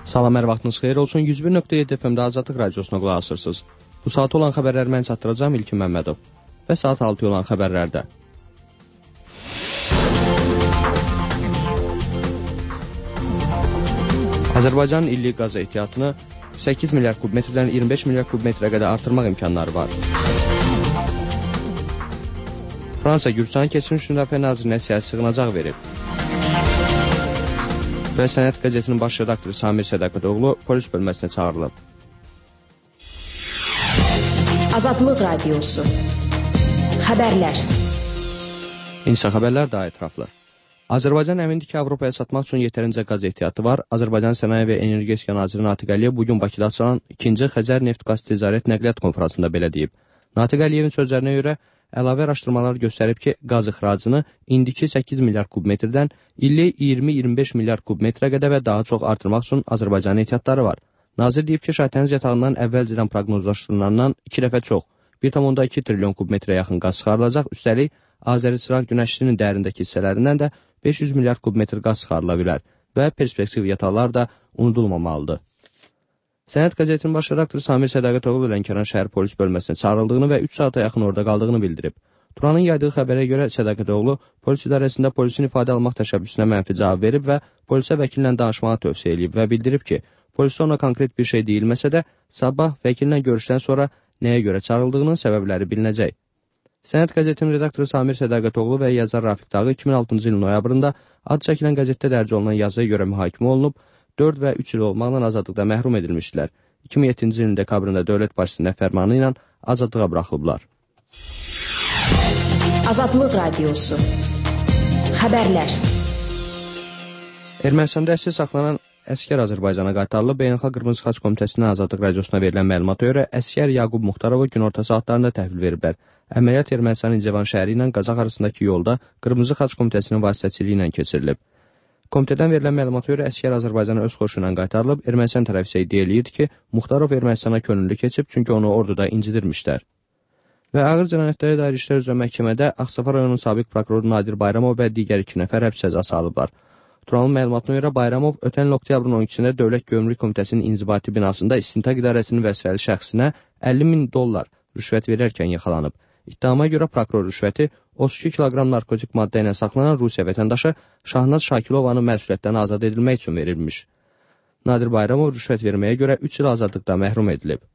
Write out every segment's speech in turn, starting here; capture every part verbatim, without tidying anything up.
Salam, hər vaxtınız xeyir olsun. yüz bir nöqtə yeddi F M-də Azadlıq Radiosuna qulaq asırsınız. Bu saat olan xəbərləri mən çatdıracağım İlkin Məmmədov. Və saat altı olan xəbərlərdə. Azərbaycanın illik qaz ehtiyatını səkkiz milyard kub metrdən iyirmi beş milyard kub metrə qədər artırmaq imkanları var. Fransa Gürcüstanın keçmiş müdafiə nazirinə siyasi sığınacaq verib. Və Sənət qəzetinin baş redaktoru Samir Sədaqətoğlu polis bölməsinə çağırılıb. Azadlıq Radiosu Xəbərlər. İnsa xəbərlər daha ətraflı. Azərbaycan əmindir ki, Avropaya satmaq üçün yetərincə qaz ehtiyatı var. Azərbaycan Sənaye və Energetika Naziri Natiq Əliyev bugün Bakıda açılan ikinci Xəzər Neft-Qaz Ticarət Nəqliyyat konfransında belə deyib. Natiq Əliyevin sözlərinə görə əlavə araşdırmalar göstərib ki, qaz ixracını indiki səkkiz milyard kub metrdən illik iyirmi iyirmi beş milyard kub metrə qədər və daha çox artırmaq üçün Azərbaycanın ehtiyatları var. Nazir deyib ki, şahitəniz yatağından əvvəlcədən proqnozlaşdırılandan iki dəfə çox, bir tam iki trilyon kub metrə yaxın qaz çıxarılacaq. Üstəlik, Azəri-Çıraq günəşlinin dərindəki hissələrindən də beş yüz milyard kub metr qaz çıxarıla bilər və perspektiv yataqlar da unudulmamalıdır. Sənət qəzetinin baş redaktoru Samir Sədaqətoğlu Lənkəran şəhər polis bölməsinə çağırıldığını və üç saata yaxın orada qaldığını bildirib. Turanın yaydığı xəbərə görə Sədaqətoğlu polis idarəsində polisin ifadə almaq təşəbbüsünə mənfi cavab verib və polisə vəkillə danışmağı tövsiyə edib və bildirib ki, polisə ona konkret bir şey deyilməsə də sabah vəkillə görüşdən sonra nəyə görə çağırıldığının səbəbləri bilinəcək. Sənət qəzetinin redaktoru Samir Sədaqətoğlu və yazar Rafiq Dağı iki min altıncı ilin noyabrında ad çəkilən qəzetdə dərc olunan yazıya görə mühakimə olunub, dörd və üç il olmaqla azadlıqda məhrum edilmişdilər. iki min yeddinci ilin dekabrında dövlət başçısının fərmanı ilə azadlığa buraxılıblar. Azadlıq Radiosu Xəbərlər. Ermənistanda əsir saxlanan əskər Azərbaycana qaytarılıb. Beynəlxalq Qırmızı Xaç Komitəsinin Azadlıq Radiosuna verilən məlumata görə əskər Yaqub Muxtarovu günorta saatlarında təhvil veriblər. Əməliyyat Ermənistanın İncəvan şəhəri ilə Qazax arasındakı yolda Qırmızı Xaç Komitəsinin vasitəçiliyi ilə keçirilib. Komitədən verilən məlumata görə əskər Azərbaycana öz xoşu ilə qaytarılıb. Ermənistan tərəfi isə iddia eləyirdi ki, Muxtarov Ermənistana könüllü keçib, çünki onu orduda incidirmişlər. Və ağır cinayətlərə dair işlər üzrə məhkəmədə Ağstafa rayonunun sabiq prokuroru Nadir Bayramov və digər iki nəfər həbs cəzası alıblar. Turanın məlumatına görə Bayramov ötən il oktyabrın on ikisində Dövlət Gömrük Komitəsinin inzibati binasında İstintaq İdarəsinin vəzifəli şəxsinə əlli min dollar rüşvət verərkən yaxalanıb. İttihama görə prokuror rüşvəti otuz iki kiloqram narkotik maddə ilə saxlanan Rusiya vətəndaşı Şahnaz Şakilovanın məsuliyyətdən azad edilmək üçün verilmiş. Nadir Bayramov rüşvət verməyə görə üç il azadlıqda məhrum edilib.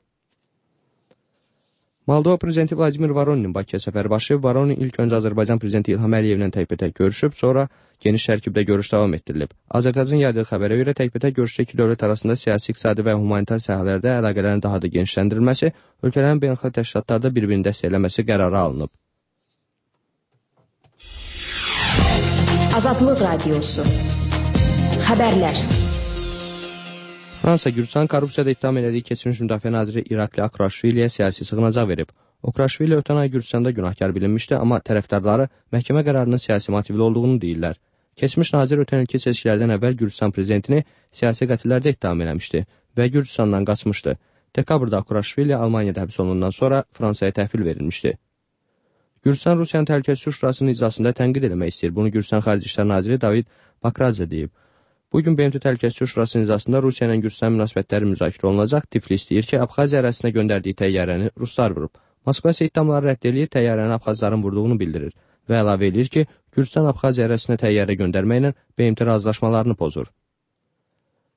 Moldova prezidenti Vladimir Voroninin Bakıya səfəri başlayıb. Voronin ilk öncə Azərbaycan prezidenti İlham Əliyevlə təkbətək görüşüb, sonra geniş tərkibdə görüş davam etdirilib. Azərbaycanın yaydığı xəbərə görə təkbətək görüşdə iki dövlət arasında siyasi, iqtisadi və humanitar sahələrdə əlaqələrin daha da genişləndirilməsi, ölkələrin beynəlxalq təşkilatlarda bir-birini dəstəkləməsi qərarı alınıb. Azadlıq Radiosu Xəbərlər. Fransa Gürcüstan korrupsiyada ittiham elədiyi keçmiş müdafiə naziri İrakli Akraşviliyə siyasi sığınacaq verib. Akraşvili ötən ay Gürcüstanda günahkar bilinmişdi, amma tərəfdarları məhkəmə qərarının siyasi motivli olduğunu deyirlər. Keçmiş nazir ötən ilki seçkilərdən əvvəl Gürcüstan prezidentini siyasi qətillərdə ittiham eləmişdi və Gürcüstandan qaçmışdı. Dekabrda Akraşvili Almaniyada həbs olunandan sonra Fransaya təhvil verilmişdi. Gürcüstan Rusiyanın Təhlükəsizlik Şurasının iclasında tənqid eləmək istəyir. Bunu Gürcüstan Xarici İşlər naziri David Bakradze deyib. Bugün B M T Təhlükəsizlik Şurasının iclasında Rusiya ilə Gürcüstan münasibətləri müzakirə olunacaq. Tiflis deyir ki, Abxaziya ərazisinə göndərdiyi təyyarəni ruslar vurub. Moskva isə iddiaları rədd eləyir, təyyarəni Abxazların vurduğunu bildirir və əlavə edir ki, Gürcüstan Abxaziya ərazisinə təyyarə göndərməklə B M T razılaşmalarını pozur.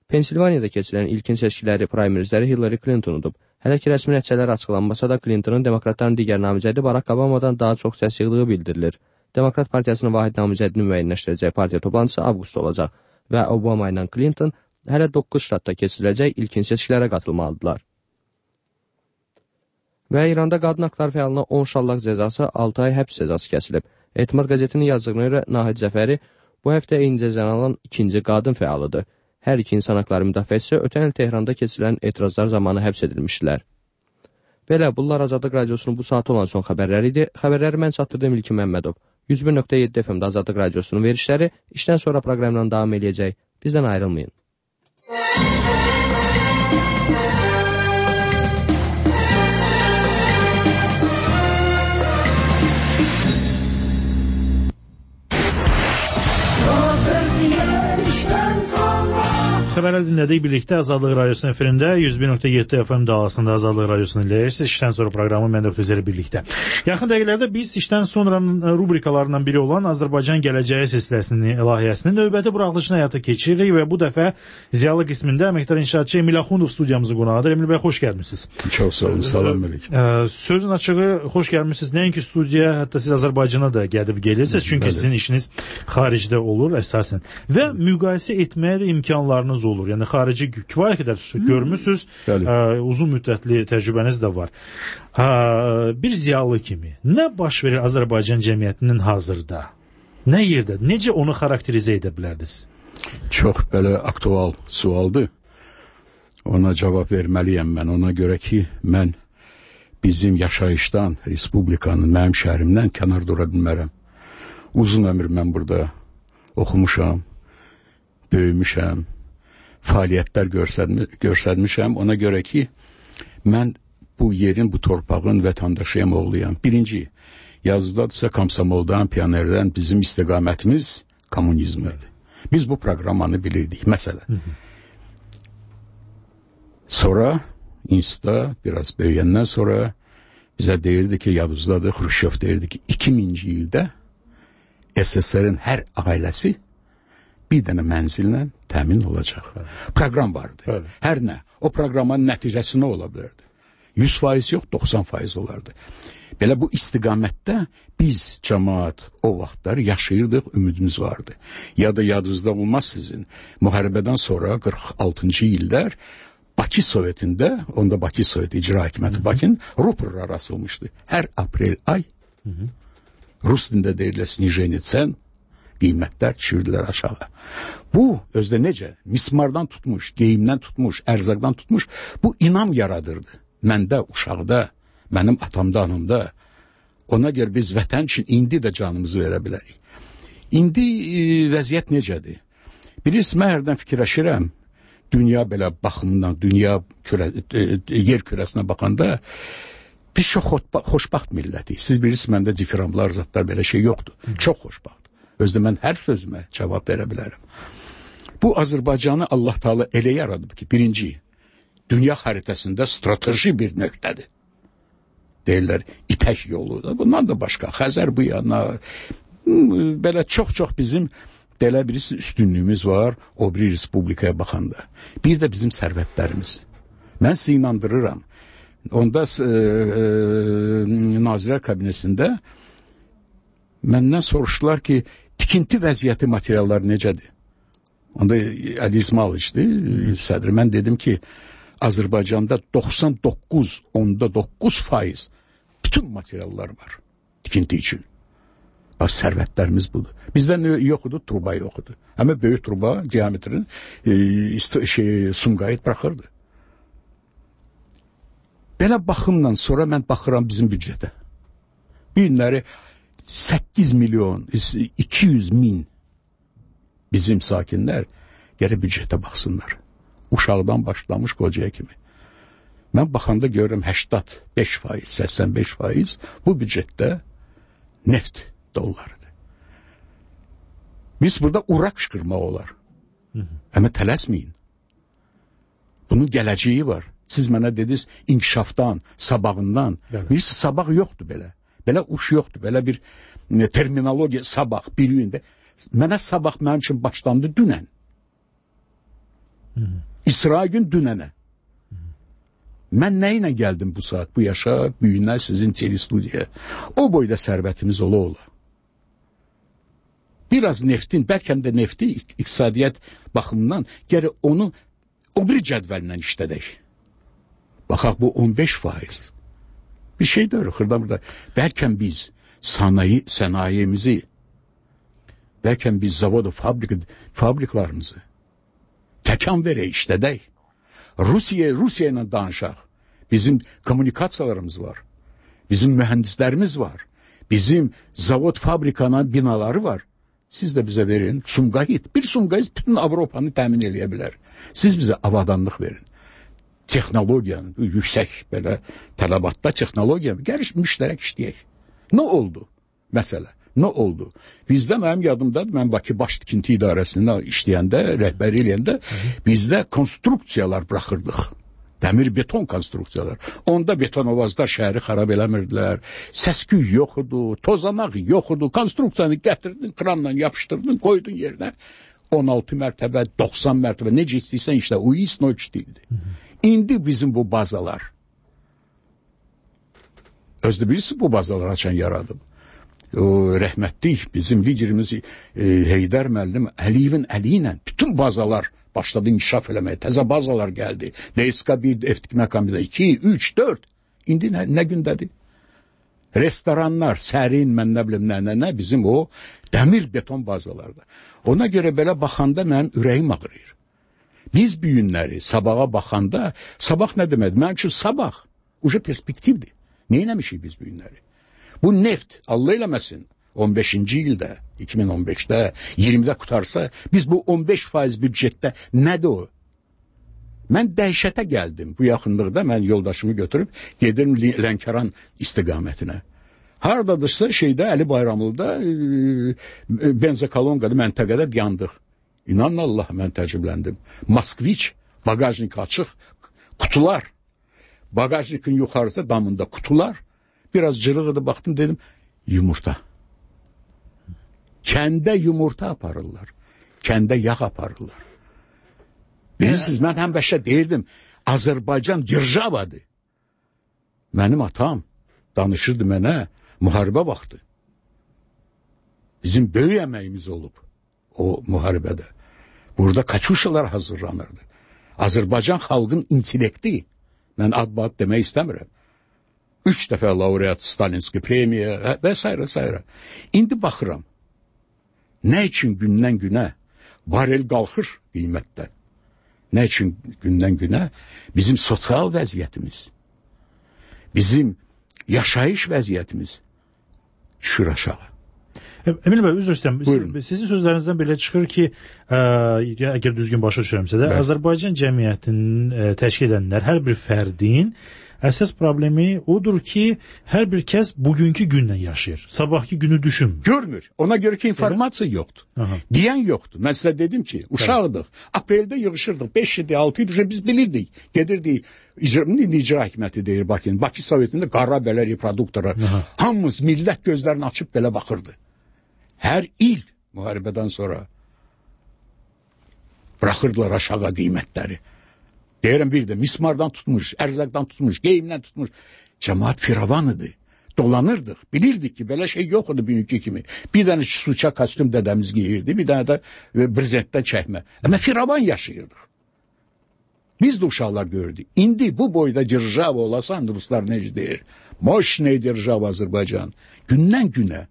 Pensilvaniyada keçirilən ilkin seçkiləri primarizləri Hillary Clinton udub. Hələ ki, rəsmi nəticələr açıqlanmasa da Clintonun demokratların digər namizədi Barack Obamadan daha çox səs yığdığı bildirilir. Demokrat Partiyasının vahid namizədini müəyyənləşdirəcək partiya toplantısı avqustda olacaq və Obama ilə Clinton hələ doqquz ştatda keçiriləcək ilkin seçkilərə qatılmalıdırlar. Və İranda qadın haqları fəalına on şallaq cəzası, altı ay həbs cəzası kəsilib. Etimad qəzetinin yazdığına görə Nahid Zəfəri bu həftə eyni cəzanı alan ikinci qadın fəalıdır. Hər iki insan haqları müdafiəçisi ötən il Tehranda keçirilən etirazlar zamanı həbs edilmişdilər. Belə, bunlar Azadlıq Radiosunun bu saat olan son xəbərləri idi. Xəbərləri mən çatdırdığım İlkin Məmmədov. yüz bir nöqtə yeddi F M-də Azadlıq Radiosunun verişləri işdən sonra proqramdan davam eləyəcək. Bizdən ayrılmayın. xəbərlər dinlədik birlikdə Azadlıq Radiosunun efirində yüz bir nöqtə yeddi F M dalasında Azadlıq Radiosunu dinləyirsiniz. İşdən sonra proqramı mən Doktor Zəri birlikdə. Yaxın dəqiqələrdə biz işdən sonra rubrikalarından biri olan Azərbaycan Gələcəyi silsiləsinin layihəsinin növbəti buraxılışını həyata keçiririk və bu dəfə ziyalı qismində əməkdar inşaatçı Emil Axundov studiyamızın qonağıdır. Emil bəy, xoş gəlmisiniz. Çox sağ olun, salam əleykum. Sözün açığı, xoş gəlmisiniz. Nəinki studiyaya, hətta siz Azərbaycana da gəlib gelirsiniz, çünki sizin işiniz xaricdə olur əsasən. Və müqayisə etməyə də imkanlarınız olur. Yəni xarici kifayət qədər görmüsünüz, uzun müddətli təcrübəniz də var. Bir ziyalı kimi nə baş verir Azərbaycan cəmiyyətinin hazırda? Nə yerdə? Necə onu xarakterizə edə bilərdiniz? Çox belə aktual sualdır. Ona cavab verməliyəm mən. Ona görə ki, mən bizim yaşayışdan, Respublikanın, mənim şəhərimdən kənar dura bilmərəm. Uzun ömür mən burada oxumuşam, böyümüşəm, fəaliyyətlər göstərmişəm. Ona görə ki, mən bu yerin, bu torpağın vətəndaşıyam, oğluyam. Birinci, yazıdadırsa Komsomoldan, Pionerdən bizim istiqamətimiz kommunizmdir. Biz bu proqramanı bilirdik, məsələn. Sonra, institutda biraz böyüyəndən sonra bizə deyirdi ki, yadımızdadır, Xruşşov deyirdi ki, iki minci ildə S S R-in hər ailəsi bir dənə mənzillə təmin olacaq. Proqram vardı. Bəli. Hər nə? O proqramın nəticəsi nə ola bilərdi? yüz faiz yox, doxsan faiz olardı. Belə bu istiqamətdə biz cəmaat o vaxtlar yaşayırdıq, ümidimiz vardı. Ya da yadınızda olmaz sizin. Müharibədən sonra qırx altıncı illər Bakı Sovetində, onda Bakı Sovet İcra Hakimiyyəti Bakının ruporlar asılmışdı. Hər aprel ay hı -hı. Rus dilində deyilə snijeni cen, qiymətlər çivirdilər aşağı. Bu, özdə necə? Mismardan tutmuş, geyimdən tutmuş, ərzaqdan tutmuş, bu inam yaradırdı. Məndə, uşaqda, mənim atamda, anımda. Ona görə biz vətən üçün indi də canımızı verə bilərik. İndi e, vəziyyət necədir? Birisi, mən hərdən fikirləşirəm, dünya belə baxımından, dünya kürə, e, yer kürəsinə baxanda, biz çox xoşbaxt millətik. Siz bilirsiniz, məndə difiramlar, zatlar, belə şey yoxdur. Hı. Çox xoşbaxt. Özdə mən hər sözümə cavab verə bilərəm. Bu Azərbaycanı Allah Taala elə yaradıb ki, birinci, dünya xəritəsində strateji bir nöqtədir. Deyirlər, İpək yolu da, bundan da başqa, Xəzər bu yana, belə çox-çox bizim, belə birisi üstünlüyümüz var, o bir respublikaya baxanda. Bir də bizim sərvətlərimiz. Mən sizi inandırıram. Onda e, e, Nazirlər Kabinetində məndən soruşdular ki, tikinti vəziyyəti materialları necədir? Onda Əli İsmailiçdir, sədri. Mən dedim ki, Azərbaycanda doxsan doqquz onda doqquz faiz bütün materiallar var tikinti üçün. Bax, sərvətlərimiz budur. Bizdə yoxudur, truba yoxudur. Həmə böyük truba, diametrin e, şey, Sumqayıt buraxırdı. Belə baxımdan sonra mən baxıram bizim büdcətə. Bir günləri səkkiz milyon, iki yüz min bizim sakinlər gərək büdcətə baxsınlar. Uşaqdan başlamış qocaya kimi. Mən baxanda görürüm səksən beş faiz, səksən beş faiz bu büdcətdə neft dollarıdır. Biz burada ura qışqırmaq olar. Hı -hı. Amma tələsməyin. Bunun gələcəyi var. Siz mənə dediniz inkişafdan, sabağından. Evet. Birisi sabah yoxdur belə. Belə uş yoxdur. Belə bir ne, terminologiya sabah bir gündə. Mənə sabah mənim üçün başlandı dünən. Hı -hı. İsra gün dünənə. Hı -hı. Mən nə ilə gəldim bu saat, bu yaşa, bu günlər sizin telestudiyaya. O boyda sərvətimiz ola ola. Biraz neftin, bəlkə də nefti iqtisadiyyat baxımından gərək onu o bir cədvəllə işlədək. Baxaq, bu on beş faiz. Bir şey deyir, xırda burada. Bəlkə biz sanayi, sənayemizi, bəlkə biz zavodu, fabrik, fabriklarımızı təkan verək, işlədək. Rusiya, Rusiya ilə danışaq. Bizim kommunikasiyalarımız var. Bizim mühəndislərimiz var. Bizim zavod, fabrikanın binaları var. Siz də bizə verin. Sumqayıt. Bir Sumqayıt bütün Avropanı təmin edə bilər. Siz bizə avadanlıq verin. Texnologiyanın, yüksək belə tələbatda texnologiya, gəliş müştərək işləyək. Nə oldu? Məsələ. Nə oldu? Bizdə mənim yadımdadır, mən Bakı Baş Tikinti İdarəsində işləyəndə, rəhbəri eləyəndə bizdə konstruksiyalar buraxırdıq. Dəmir beton konstruksiyalar. Onda betonovazlar şəhəri xarab eləmirdilər. Səsküy yox idi, tozamaq yox idi. Konstruksiyanı gətirdin, kranla yapışdırdın, qoydun yerinə. on altı mərtəbə, doxsan mərtəbə, necə istəyirsən işlə, o isnoç deyildi. İndi bizim bu bazalar, özdə birisi bu bazalar açan yaradım. O rəhmətlik bizim liderimiz e, Heydər müəllim Əliyevin əli ilə bütün bazalar başladı inkişaf eləməyə. Təzə bazalar gəldi. D S K bir, Eftik məkamında iki, üç, dörd. İndi nə, nə gündədir? Restoranlar, sərin, mən nə bilim, nə, nə, nə bizim o dəmir beton bazalarda. Ona görə belə baxanda mənim ürəyim ağrıyır. Biz bu günləri sabaha baxanda, sabah nə deməkdir? Mənim üçün sabah uca perspektivdir. Nə eləmişik biz bu günləri? Bu neft, Allah eləməsin, on beşinci ildə, iki min on beşdə, iyirmidə qutarsa, biz bu on beş faiz büdcetdə nədir o? Mən dəhşətə gəldim bu yaxınlıqda, mən yoldaşımı götürüb gedirəm Lənkəran istiqamətinə. Haradadırsa şeydə, Əli Bayramlı'da e, benzokolonqada məntəqədə yandıq. İnanın Allah, mən təcrübləndim. Moskviç, bagajnik açıq, qutular. Bagajnikin yuxarısı damında qutular. Biraz cırığıdı, baxdım, dedim, yumurta. Kəndə yumurta aparırlar. Kəndə yağ aparırlar. Bilirsiniz, mən həmişə deyirdim, Azərbaycan держavadır. Mənim atam danışırdı mənə, müharibə vaxtı. Bizim böyük əməyimiz olub o müharibədə. Burada kaçuşalar hazırlanırdı. Azərbaycan xalqın intellekti, mən ad-bad demək istəmirəm. Üç dəfə laureat Stalinski premiya və s. s. İndi baxıram, nə üçün gündən günə barel qalxır qiymətdə? Nə üçün gündən günə bizim sosial vəziyyətimiz, bizim yaşayış vəziyyətimiz düşür aşağı. Emil bəy, üzr istəyirəm. Sizin sözlərinizdən belə çıxır ki, ə, əgər düzgün başa düşürəmsə də, Bəli. Azərbaycan cəmiyyətinin ə, təşkil edənlər, hər bir fərdin əsas problemi odur ki, hər bir kəs bugünkü gündən yaşayır. Sabahki günü düşünmür. Görmür. Ona görə ki, informasiya evet. yoxdur. Aha. Deyən yoxdur. Mən sizə dedim ki, uşaqdıq. Apreldə yığışırdıq. beş idi, altı idi. Biz bilirdik. Gedirdik. İcra, icra hikməti deyir Bakının. Bakı Sovetində qara belə reproduktora. Hamımız millət gözlərini açıb belə baxırdı. Hər il müharibədən sonra bıraxırdılar aşağı qiymətləri. Deyirəm bir də mismardan tutmuş, ərzaqdan tutmuş, geyimdən tutmuş. Cəmaat firavanıdır. Dolanırdıq. Bilirdik ki, belə şey yox idi bugünkü kimi. Bir dənə suça kostyum dədəmiz giyirdi, bir dənə də brezentdən çəkmə. Amma firavan yaşayırdıq. Biz də uşaqlar gördük. İndi bu boyda держава olasan, ruslar necə deyir? Moşney держава Azərbaycan. Gündən günə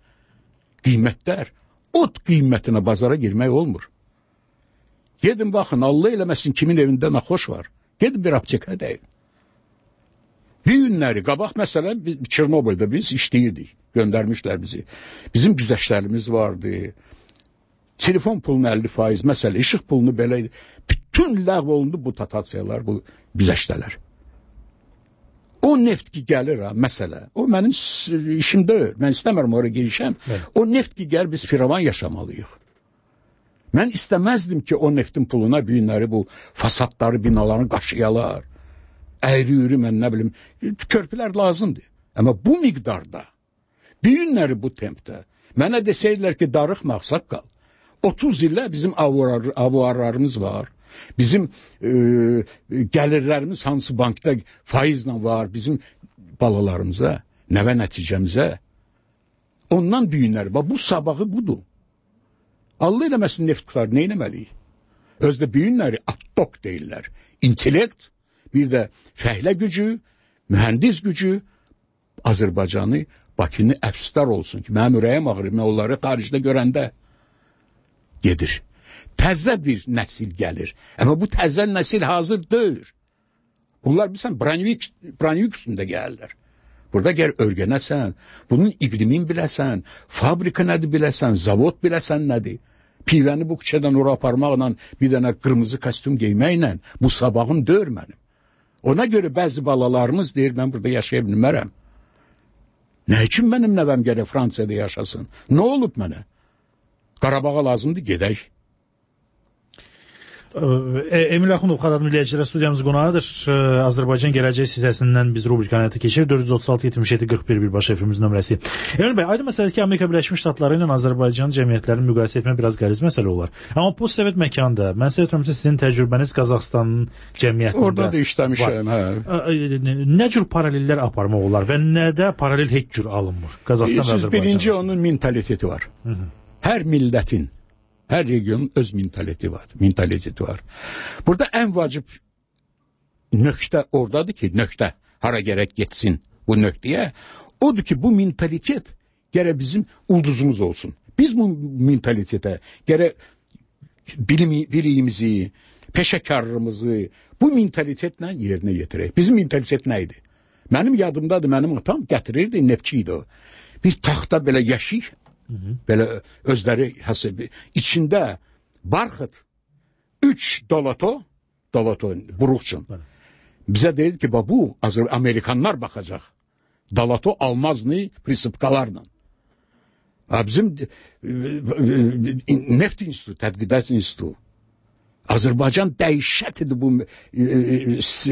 qiymətlər, ot qiymətinə bazara girmək olmur. Gedin baxın, Allah eləməsin kimin evində naxoş var. Gedin bir aptekə deyil. Bir günləri, qabaq məsələ, Çernobyldə biz işləyirdik, göndərmişlər bizi. Bizim güzəştlərimiz vardı. Telefon pulunu əlli faiz, məsələ, işıq pulunu belə idi. Bütün ləğv olundu bu dotasiyalar, bu güzəştələr. O neft ki gəlir ha, məsələ, o mənim işim deyil, mən istəmirəm oraya girişəm. Evet. O neft ki gəlir, biz firavan yaşamalıyıq. Mən istəməzdim ki, o neftin puluna bir günləri bu fasadları, binalarını qaşıyalar. Əyri-üyri, mən nə bilim, körpülər lazımdır. Amma bu miqdarda, bir günləri bu tempdə, mənə desəydilər ki, darıxmaq, saqqal. otuz illə bizim avuar, avuarlarımız var. Bizim e, gəlirlərimiz hansı bankda faizlə var, bizim balalarımıza, nəvə nəticəmizə. Ondan bir günləri, bu sabahı budur. Allah eləməsin neft qutar, nə eləməliyik? Özdə bir günləri attok deyirlər. İntellekt, bir də fəhlə gücü, mühəndis gücü Azərbaycanı, Bakını əfsdar olsun ki, mənim ürəyim ağrır, mən onları xaricdə görəndə gedir. Təzə bir nəsil gəlir. Amma bu təzə nəsil hazır deyil. Bunlar bilsən, Branivik, Branivik üstündə gəlirlər. Burada gəl örgənəsən, bunun iqlimin biləsən, fabrika nədir biləsən, zavod biləsən nədir. Pivəni bu küçədən ora aparmaqla, bir dənə qırmızı kostyum giyməklə, bu sabahım deyir mənim. Ona görə bəzi balalarımız deyir, mən burada yaşaya bilmərəm. Nə üçün mənim nəvəm gərək Fransiyada yaşasın? Nə olub mənə? Qarabağa lazımdır, gedək. Emil Axundov, Xadar Milliyəcilər studiyamız qonağıdır. Azərbaycan Gələcək hissəsindən biz rubrikanı həyata keçirir. dörd yüz otuz altı yetmiş yeddi qırx bir birbaşa efimizin nömrəsi. Emil bəy, aydın məsələdir ki, Amerika Birləşmiş Ştatları ilə Azərbaycan cəmiyyətlərini müqayisə etmək biraz qəliz məsələ olar. Amma postsovet məkanda, mən səhv etmirəmsə, sizin təcrübəniz Qazaxıstanın cəmiyyətində orada da işləmişəm, hə. Nə cür paralellər aparmaq olar və nədə paralel heç cür alınmır? Qazaxstan və Azərbaycan. Birinci onun mentaliteti var. Hı -hı. Hər millətin, hər regionun öz mentaliteti var. Mentaliteti var. Burada ən vacib nöqtə oradadır ki, nöqtə hara gərək getsin bu nöqtəyə. Odur ki, bu mentalitet gərək bizim ulduzumuz olsun. Biz bu mentalitetə gərək bilim, biliyimizi, peşəkarlığımızı bu mentalitetlə yerinə yetirək. Bizim mentalitet nə idi? Mənim yadımdadır, mənim atam gətirirdi, neftçi idi o. Bir taxta belə yeşik, Hı -hı. belə özləri həsib içində barxıt üç dolato dolato buruqçun. Bizə deyir ki, bu Azər Amerikanlar baxacaq. Dolato almazını prinsipkalarla. Bizim neft institutu, tədqiqat institutu. Azərbaycan dəhşət idi bu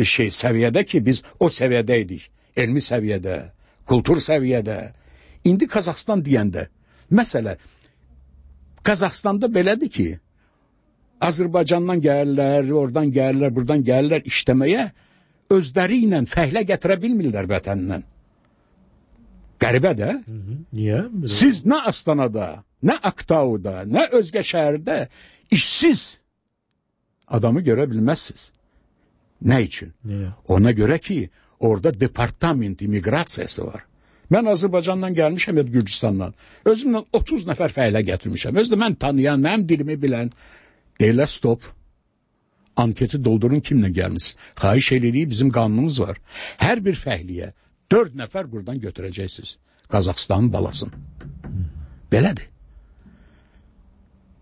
şey səviyyədə ki, biz o səviyyədə idik. Elmi səviyyədə, kultur səviyyədə. İndi Qazaxstan deyəndə məsələ, Qazaxstanda belədir ki, Azərbaycandan gəlirlər, oradan gəlirlər, buradan gəlirlər işləməyə, özləri ilə fəhlə gətirə bilmirlər vətəndən. Qəribə də. Niyə? Siz nə Astanada, nə Aktauda, nə özgə şəhərdə işsiz adamı görə bilməzsiniz. Nə üçün? Niyə? Ona görə ki, orada departament immiqrasiyası var. Mən Azərbaycandan gəlmişəm ya Gürcüstandan. Özümlə otuz nəfər fəhlə gətirmişəm. Özdə mən tanıyan, mənim dilimi bilən. Deyirlər stop. Anketi doldurun kimlə gəlmiş. Xahiş edirik, bizim qanunumuz var. Hər bir fəhliyə dörd nəfər buradan götürəcəksiniz. Qazaxstanın balasını. Belədir.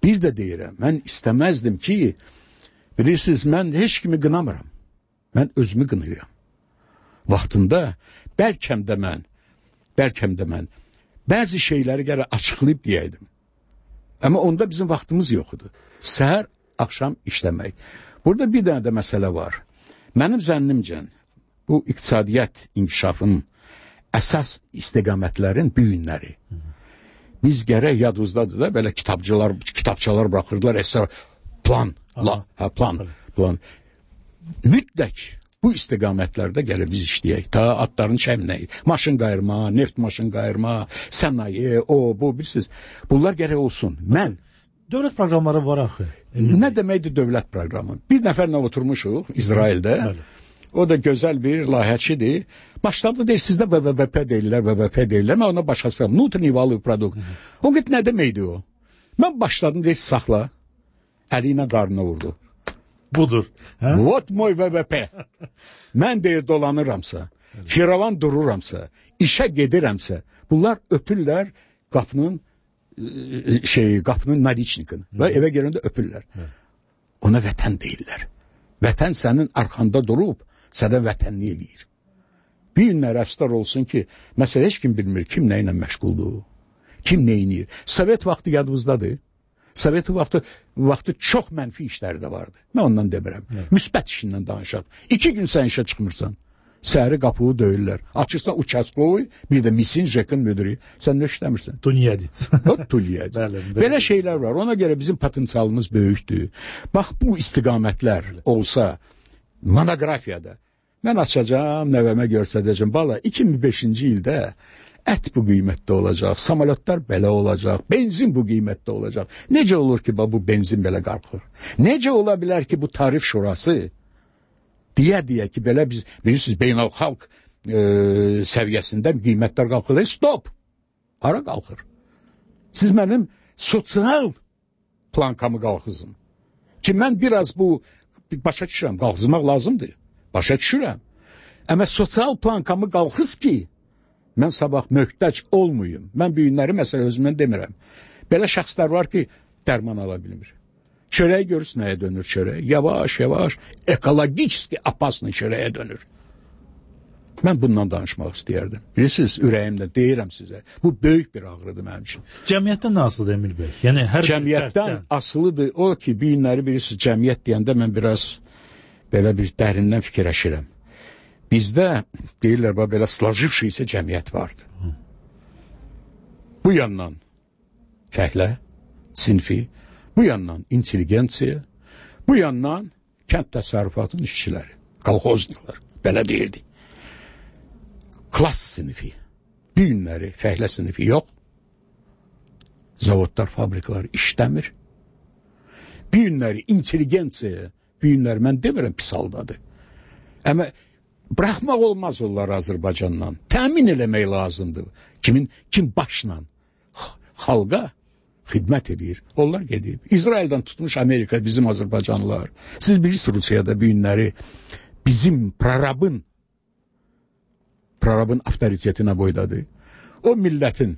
Bir də deyirəm, mən istəməzdim ki, bilirsiniz, mən heç kimi qınamıram. Mən özümü qınıram. Vaxtında bəlkəm də mən Bəlkəm də mən bəzi şeyləri gərək açıqlayıb deyəydim. Amma onda bizim vaxtımız yox idi. Səhər, axşam işləmək. Burada bir dənə də məsələ var. Mənim zənnimcə bu iqtisadiyyat inkişafının əsas istiqamətlərin bu günləri. Biz gərək yadımızdadır da belə kitabçılar, kitabçalar buraxırdılar, əsər plan, la, hə, plan, plan. Mütləq bu istiqamətlərdə gəlir biz işləyək. Ta atların çəmnəyi, maşın qayırma, neft maşın qayırma, sənaye, o, bu, bilirsiniz. Bunlar gərək olsun. Mən... Dövlət proqramları var axı. Nə deməkdir dövlət proqramı? Bir nəfərlə oturmuşuq İsraildə. O da gözəl bir layihəçidir. Başladı deyir, sizdə V V P deyirlər, V V P deyirlər. Mən ona başlasam, внутренний валовый produkt. O qət nə deməkdir o? Mən başladım deyir, saxla. Əli ilə qarnına vurdu. Budur. Hə? Vot moy V V P. Mən deyir dolanıramsa, firavan dururamsa, işə gedirəmsə, bunlar öpürlər qapının şey, qapının nadiçnikini və evə gələndə öpürlər. Ona vətən deyirlər. Vətən sənin arxanda durub, sənə vətənli eləyir. Bir günlər əfstar olsun ki, məsələ heç kim bilmir, kim nə ilə məşğuldur, kim nə edir. Sovet vaxtı yadımızdadır. Sovet vaxtı, vaxtı çox mənfi işləri də vardı. Mən ondan demirəm. Evet. Müsbət işindən danışaq. İki gün sən işə çıxmırsan. Səhəri qapığı döyürlər. Açırsan uçaskoy, bir də misin, jekin müdürü. Sən nə işləmirsən? Tunyadit. Tunyadit. Belə şeylər var. Ona görə bizim potensialımız böyükdür. Bax, bu istiqamətlər olsa, monoqrafiyada, mən açacağım, nəvəmə göstərəcəm. Bala, iki min beşinci ildə ət bu qiymətdə olacaq, samolyotlar belə olacaq, benzin bu qiymətdə olacaq. Necə olur ki, bu benzin belə qalxır? Necə ola bilər ki, bu tarif şurası deyə-deyə ki, belə biz, bilirsiniz, beynəlxalq e, səviyyəsində qiymətlər qalxır. Stop! Hara qalxır? Siz mənim sosial plankamı qalxızın. Ki, mən biraz bu, başa düşürəm, qalxızmaq lazımdır. Başa düşürəm. Amma sosial plankamı qalxız ki, mən sabah möhtac olmayım. Mən bu günləri məsələ özümdən demirəm. Belə şəxslər var ki, dərman ala bilmir. Çörək görürüz nəyə dönür çörək? Yavaş, yavaş, ekologически опасный çörəyə dönür. Mən bundan danışmaq istəyərdim. Bilirsiniz, ürəyimdə deyirəm sizə. Bu böyük bir ağrıdır mənim üçün. Cəmiyyətdən nə asılıdır Emil bəy? Yəni hər cəmiyyətdən asılıdır o ki, bir günləri bilirsiniz, cəmiyyət deyəndə mən biraz belə bir dərindən fikirləşirəm. Bizdə deyirlər, belə slajivşiysə cəmiyyət vardı. Hı. Bu yandan fəhlə, sinfi, bu yandan intelligensiya, bu yandan kənd təsərrüfatının işçiləri, kolxozniklər, belə deyirdi. Klas sinifi, bir günləri fəhlə sinifi yox, zavodlar, fabrikalar işləmir. Bir günləri intelligensiya, bir günləri mən demirəm pis haldadır. Amma bıraxmaq olmaz onları Azərbaycandan. Təmin eləmək lazımdır. Kimin, kim başla xalqa xidmət edir. Onlar gedib. İsraildən tutmuş Amerika bizim Azərbaycanlılar. Siz bilirsiniz Rusiyada bir günləri bizim prorabın prorabın avtoritetinə boydadır. O millətin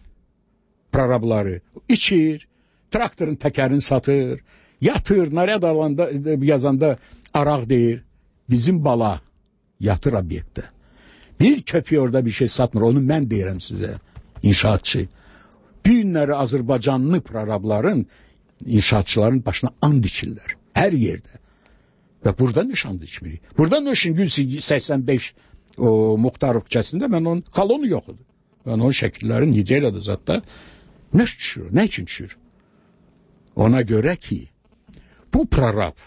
prorabları içir, traktorun təkərini satır, yatır, narad alanda yazanda araq deyir. Bizim bala yatır obyektdə. Bir köpək orada bir şey satmır. Onu mən deyirəm sizə, inşaatçı. Bir günləri Azərbaycanlı prorabların, inşaatçıların başına and içirlər. Hər yerdə. Və burada nişan içmirik. Burada nişan Gülsi səksən beş o Muxtarov küçəsində mən onun kolonu yox idi. Yəni onun şəkilləri necə elədi zətdə? Nə düşür? Nə üçün düşür? Ona görə ki, bu prorab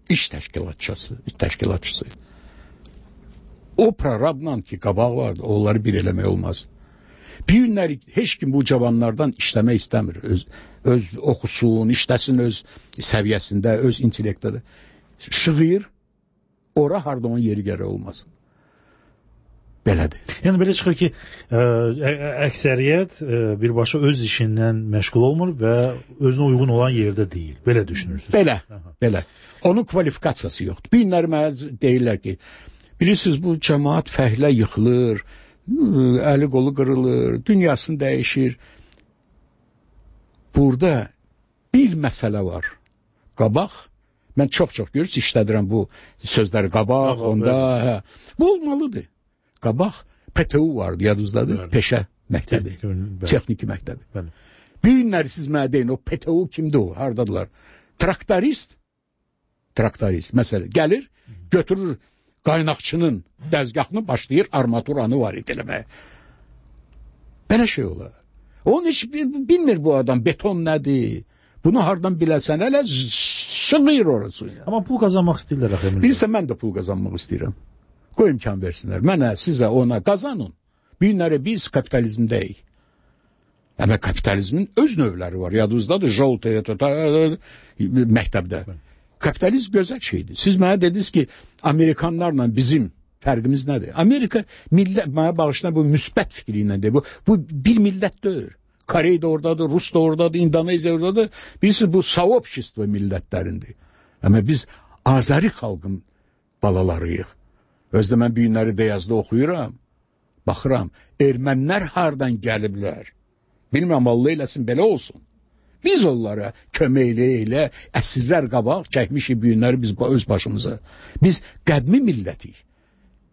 iş təşkilatçısı, iş təşkilatçısı. O prorabla ki, qabaq vardı, onları bir eləmək olmaz. Bir günləri heç kim bu cavanlardan işləmək istəmir. Öz, öz oxusun, işləsin öz səviyyəsində, öz intellektdə. Şığıyır, ora harda onun yeri gərək olmasın. Belədir. Yəni belə çıxır ki, ə, əksəriyyət ə, birbaşa öz işindən məşğul olmur və özünə uyğun olan yerdə deyil. Belə düşünürsünüz? Belə, Aha. belə. Onun kvalifikasiyası yoxdur. Bir günləri mənə deyirlər ki, bilirsiniz, bu cəmaat fəhlə yıxılır, əli qolu qırılır, dünyasını dəyişir. Burada bir məsələ var. Qabaq, mən çox-çox görürsünüz, işlədirəm bu sözləri qabaq, Aha, onda, hə, bu olmalıdır. Qabaq P T U vardı, yadınızdadır, Bəli. Peşə məktəbi, Bəli. Texniki məktəbi. Bəli. Bir günləri siz mənə deyin, o P T U kimdir o, hardadılar? Traktorist, traktorist, məsələ, gəlir, götürür qaynaqçının dəzgahını, başlayır armaturanı var ediləməyə. Belə şey olar. Onun heç bilmir bu adam, beton nədir? Bunu hardan biləsən, hələ şığıyır orası. Ya. Amma pul qazanmaq istəyirlər. Bilirsən, mən də pul qazanmaq istəyirəm. Qoy imkan versinlər. Mənə, sizə, ona qazanın. Bir günləri biz kapitalizmdəyik. Amma kapitalizmin öz növləri var. Yadınızdadır, Joltaya, məktəbdə. Kapitalizm gözəl şeydir. Siz mənə dediniz ki, Amerikanlarla bizim fərqimiz nədir? Amerika millət, mənə bağışlayan bu müsbət fikri iləndir. Bu, bu bir millət deyil. Korey də oradadır, Rus da oradadır, İndoneziya oradadır. Bilirsiniz, bu soobşestvo millətlərindir. Amma biz Azəri xalqın balalarıyıq. Özdə mən bir günləri Deyazda oxuyuram, baxıram, ermənlər hardan gəliblər? Bilməm, Allah eləsin, belə olsun. Biz onlara köməklə elə əsrlər qabaq çəkmişik bir günləri biz öz başımıza. Biz qədmi millətik.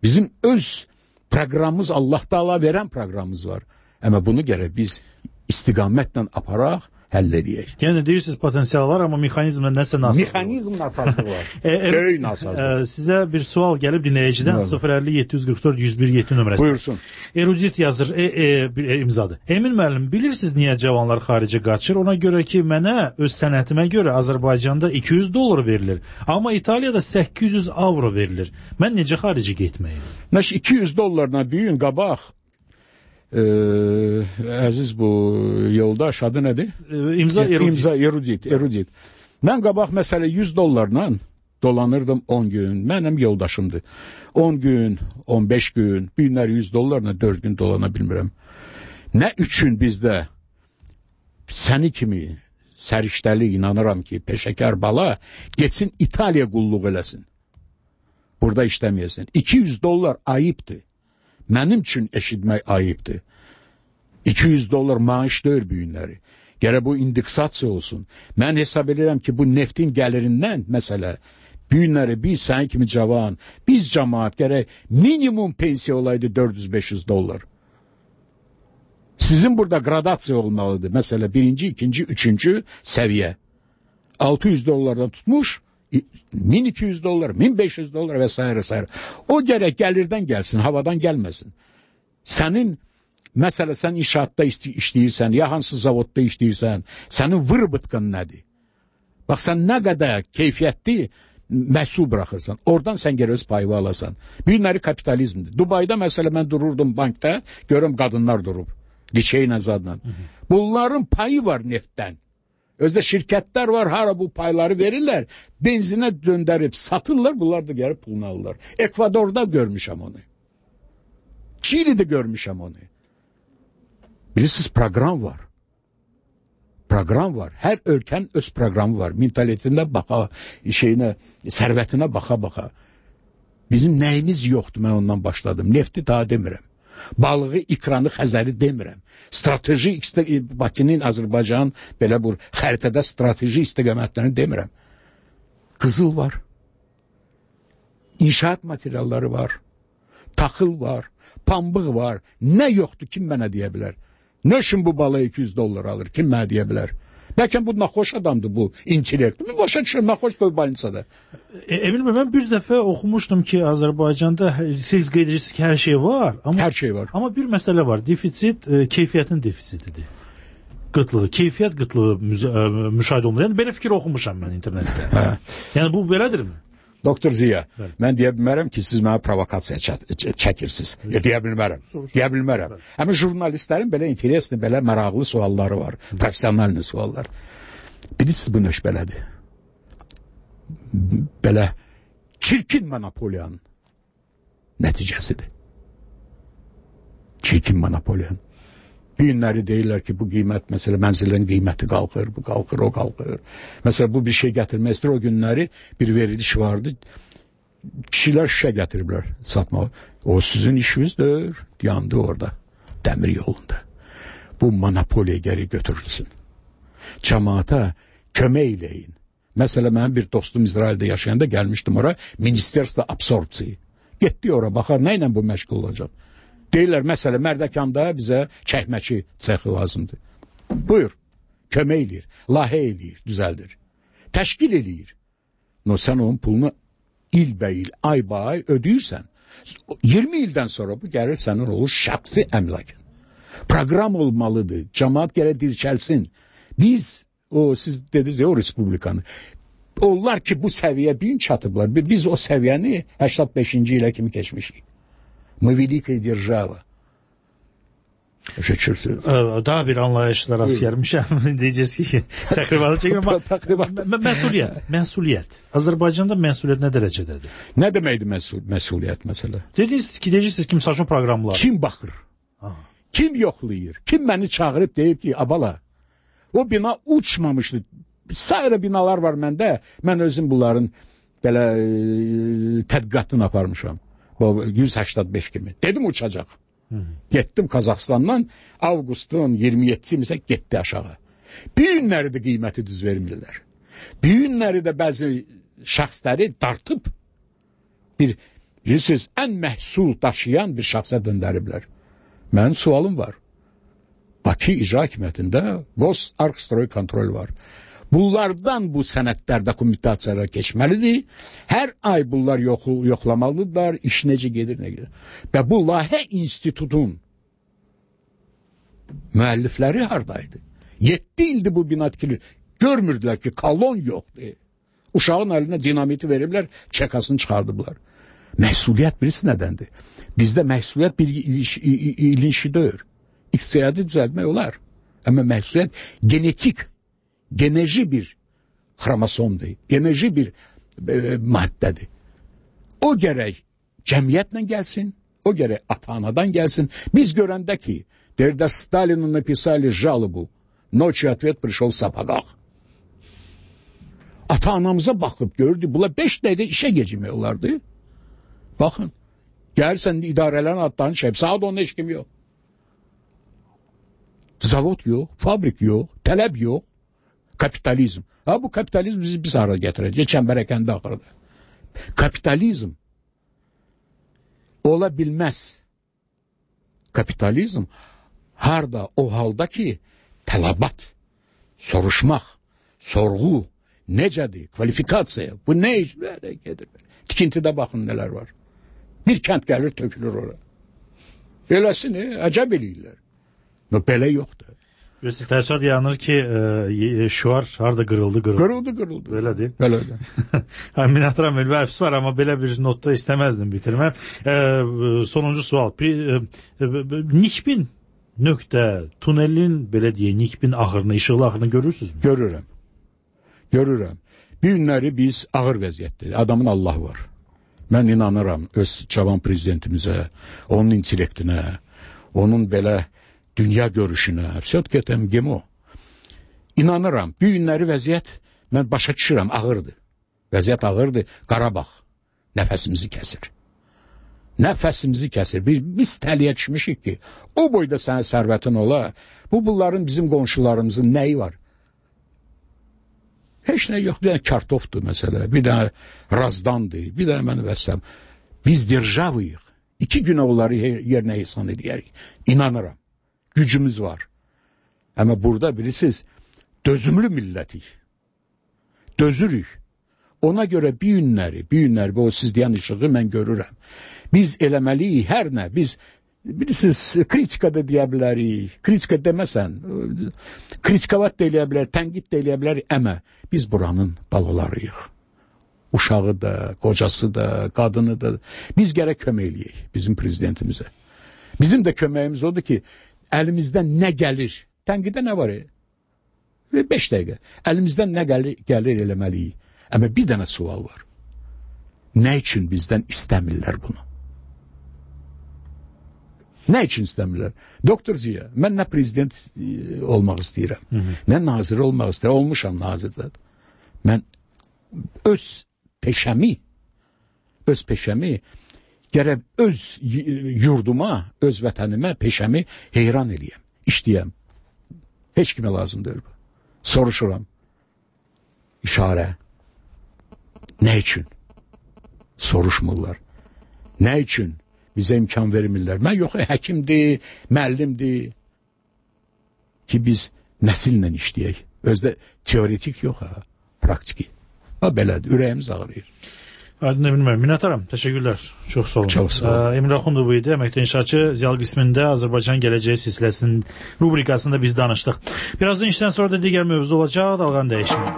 Bizim öz proqramımız, Allah Taala verən proqramımız var. Amma bunu gərək biz istiqamətlə aparaq, həll edəyək. Yəni deyirsiniz potensial var, amma mexanizmlə nəsə nasazlıq var. Mexanizm nasazlıq var. Böyük nasazlıq. Sizə bir sual gəlib dinləyicidən sıfır əlli yeddi yüz qırx dörd yüz bir yeddi nömrəsi. Buyursun. Erudit yazır, e, e, bir imzadır. Emin müəllim, bilirsiniz niyə cavanlar xaricə qaçır? Ona görə ki, mənə öz sənətimə görə Azərbaycanda iki yüz dollar verilir, amma İtaliyada səkkiz yüz avro verilir. Mən necə xaricə getməyim? Məş iki yüz dollarla bir gün qabaq Ee, əziz bu yoldaş adı nədir? Ee, imza erudit. İmza erudit, erudit. Mən qabaq məsələ yüz dollarla dolanırdım on gün. Mənim yoldaşımdır. on gün, on beş gün, bir günlər yüz dollarla dörd gün dolana bilmirəm. Nə üçün bizdə səni kimi səriştəli inanıram ki, peşəkar bala getsin İtaliya qulluq eləsin. Burada işləməyəsin. iki yüz dollar ayıbdır. Mənim üçün eşitmək ayıbdır. iki yüz dollar maaş deyil bu günləri. Gərək bu indeksasiya olsun. Mən hesab edirəm ki, bu neftin gəlirindən məsələ Bu günləri biz, sən kimi cavan, biz cəmaat gərək minimum pensiya olaydı dörd yüz beş yüz dollar. Sizin burada gradasiya olmalıdır. Mesela birinci, ikinci, üçüncü səviyyə. altı yüz dollardan tutmuş, bin iki yüz dollar, bin beş yüz dollar vesaire vesaire. O gərək gəlirdən gəlsin, havadan gəlməsin. Sənin, məsələ sən inşaatda işləyirsən, ya hansı zavodda işləyirsən, sənin vırbıtqın nədir? Bax, sən nə qədər keyfiyyətli məhsul buraxırsan, oradan sən geri öz payı alasan. Bu günləri kapitalizmdir. Dubayda məsələ mən dururdum bankda, görüm qadınlar durub. Liçeyin azadla. Bunların payı var neftdən. Özdə şirkətlər var, hara bu payları verirlər, benzinə döndərib satırlar, bunlar da gəlib pulunu alırlar. Ekvadorda görmüşəm onu. Çili'de görmüşəm onu. Bilirsiniz, program var. Program var. Hər ölkənin öz proqramı var. Mentalitetine baxa, şeyinə, sərvətinə baxa-baxa. Bizim nəyimiz yoxdur, mən ondan başladım. Nefti daha demirəm. Balığı, ikranı, xəzəri demirəm. Strateji, Bakının, Azərbaycan, belə bu xəritədə strateji istiqamətlərini demirəm. Qızıl var. İnşaat materialları var. Taxıl var. Pambıq var. Nə yoxdur, kim mənə deyə bilər? Nə üçün bu balığı iki yüz dollar alır? Kim mənə deyə bilər? Bəlkə bu naxoş adamdır, bu intellekt. Bir başa düşür, naxoş qoy balinsada. E, Emil bəy, mən bir dəfə oxumuşdum ki, Azərbaycanda siz qeyd edirsiniz ki, hər şey var. Amma, hər şey var. Amma bir məsələ var. Defitsit, e, keyfiyyətin defisitidir. Qıtlığı, keyfiyyət qıtlığı müşahidə olunur. Yəni, belə fikir oxumuşam mən internetdə. Hə. Yəni, bu belədirmi? Doktor Ziya, bəli. Mən deyə bilmərəm ki, siz mənə provokasiya çəkirsiniz. Ya, deyə bilmərəm. Deyə bilmərəm. Həmin jurnalistlərin belə interesli, belə maraqlı sualları var. Profesional suallar. Bilirsiniz, bu nöş belədir. Belə çirkin monopoliyanın nəticəsidir. Çirkin monopoliyanın. Bir günləri deyirlər ki, bu qiymət, məsələ mənzillərin qiyməti qalxır, bu qalxır, o qalxır. Məsələ bu bir şey gətirmək istəyir, o günləri bir veriliş vardı. Kişilər şişə gətiriblər satmağa. O sizin işinizdir, yandı orada, dəmir yolunda. Bu monopoliya geri götürülsün. Cəmaata kömək eləyin. Məsələ mənim bir dostum İsraildə yaşayanda gəlmişdim ora, Ministerstvo absorpsiya. Getdi ora, baxar, nə ilə bu məşğul olacaq? Deyirlər, məsələ, Mərdəkanda bizə çəkməçi çəxi lazımdır. Buyur, kömək eləyir, layihə eləyir, düzəldir. Təşkil eləyir. No, sən onun pulunu ilbəyil, ay-bay ödəyirsən. iyirmi ildən sonra bu gəlir sənin olur şəxsi əmlakın. Proqram olmalıdır, cəmaat gələ dirçəlsin. Biz, o siz dediniz ya o respublikanı, onlar ki bu səviyyə bin çatıblar, biz o səviyyəni səksən beşinci ilə kimi keçmişik. Мы великая держава. Daha bir anlayışla rast gəlmişəm. Deyəcəz ki, təqribanı çəkməm. Məsuliyyət, məsuliyyət. Azərbaycanda məsuliyyət nə dərəcədədir? Nə deməkdir məsul məsuliyyət məsələ? Dediniz ki, deyirsiniz ki, misal üçün proqramlar. Kim baxır? Aha. Kim yoxlayır? Kim məni çağırıb deyir ki, abala, o bina uçmamışdı. Sayrı binalar var məndə. Mən özüm bunların belə e, tədqiqatını aparmışam. yüz səksən beş kimi. Dedim uçacaq. Hı -hı. Getdim Qazaxıstandan, avqustun iyirmi yeddisi isə getdi aşağı. Bir günləri də qiyməti düz vermirlər. Bir günləri də bəzi şəxsləri dartıb bir, bilirsiniz, ən məhsul daşıyan bir şəxsə döndəriblər. Mənim sualım var. Bakı İcra Hakimiyyətində Gos Arkstroy kontrol var. Bunlardan bu sənədlər dokumentasiyaya keçməlidir. Hər ay bunlar yox, yoxlamalıdırlar, iş necə gedir, nə gedir. Və bu layihə institutun müəllifləri haradaydı? yeddi ildir bu bina tikilir. Görmürdülər ki, kolon yoxdur. Uşağın əlinə dinamiti veriblər, çəkasını çıxardıblar. Məhsuliyyət birisi nədəndir? Bizdə məhsuliyyət bir ilinşidir. İqtisadi düzəltmək olar. Amma məhsuliyyət genetik, geneci bir xromosomdur, geneci bir e, maddədir. O gərək cəmiyyətlə gəlsin, o gərək ata-anadan gəlsin. Biz görəndə ki, derdə Stalinu napisali жалобу, nочью ответ пришел в сапогах. Ata-anamıza baxıb gördü, bunlar beş dəqiqə işə gecikmək olardı. Baxın, gəlsən idarələrin adlarını şey, saat onda heç kim yox. Zavod yox, fabrik yox, tələb yox. Kapitalizm. Ha bu kapitalizm bizi biz ara gətirəcək, çəmbərəkəndə axırda. Kapitalizm ola bilməz. Kapitalizm harda o halda ki tələbat, soruşmaq, sorğu necədir, kvalifikasiya, bu nə iş gedir. Tikintidə baxın nələr var. Bir kənd gəlir tökülür ora. Beləsini əcəb eləyirlər. No, belə yoxdur. Siz təəssürat yaranır ki, e, şuar harda qırıldı, qırıldı. Qırıldı, qırıldı. Belə deyil. Belədir. Minətram Elvi əfs var, amma belə bir notda istəməzdim bitirməm. E, sonuncu sual. Bir, e, Nikbin nöqtə, tunelin, belə deyək, Nikbin axırını, işıqlı axırını görürsünüzmü? Görürəm. Görürəm. Bir günləri biz ağır vəziyyətdir. Adamın Allah var. Mən inanıram öz cavan prezidentimizə, onun intellektinə, onun belə dünya görüşünə, все-таки gemo. İnanıram, bir günləri vəziyyət, mən başa düşürəm, ağırdır. Vəziyyət ağırdır, Qarabağ nəfəsimizi kəsir. Nəfəsimizi kəsir. Biz, biz təliyə düşmüşük ki, o boyda sənin sərvətin ola, bu bunların bizim qonşularımızın nəyi var? Heç nə yox, bir dənə kartofdur məsələ, bir dənə razdandır, bir dənə mənə vəsəm. Biz державıyıq. İki günə onları yerinə hesab edərik. İnanıram. Gücümüz var. Amma burada bilirsiniz, dözümlü millətik. Dözürük. Ona görə bir günləri, bir günləri, o siz deyən işığı mən görürəm. Biz eləməliyik, hər nə, biz, bilirsiniz, kritika da deyə bilərik, kritika deməsən, kritikavat da eləyə bilər, tənqid də eləyə bilər, əmə, biz buranın balalarıyıq. Uşağı da, qocası da, qadını da, biz gərək kömək eləyək bizim prezidentimizə. Bizim də köməyimiz odur ki, əlimizdən nə gəlir, tənqidə nə var? E? Beş dəqiqə. Əlimizdən nə gəlir, gəlir eləməliyik. Amma bir dənə sual var. Nə üçün bizdən istəmirlər bunu? Nə üçün istəmirlər? Doktor Ziya, mən nə prezident olmaq istəyirəm, hı -hı. nə nazir olmaq istəyirəm, olmuşam nazirdə. Mən öz peşəmi, öz peşəmi, gərək öz yurduma, öz vətənimə, peşəmi heyran eləyəm, işləyəm. Heç kimə lazım deyil bu. Soruşuram. İşarə. Nə üçün? Soruşmurlar. Nə üçün bizə imkan vermirlər? Mən yox, həkimdir, müəllimdir ki, biz nəsillə işləyək. Özdə teoretik yox, ha, praktiki. Ha, belədir, ürəyimiz ağrıyır. Aydın Emin müəllim, minnətdaram. Təşəkkürlər. Çox sağ olun. Çox sağ olun. Emin Axundov idi, əməkdar inşaatçı. Ziyalı qismində Azərbaycan Gələcəyi silsiləsinin rubrikasında biz danışdıq. Birazdan işdən sonra da digər mövzu olacaq, dalğanı dəyişməyin.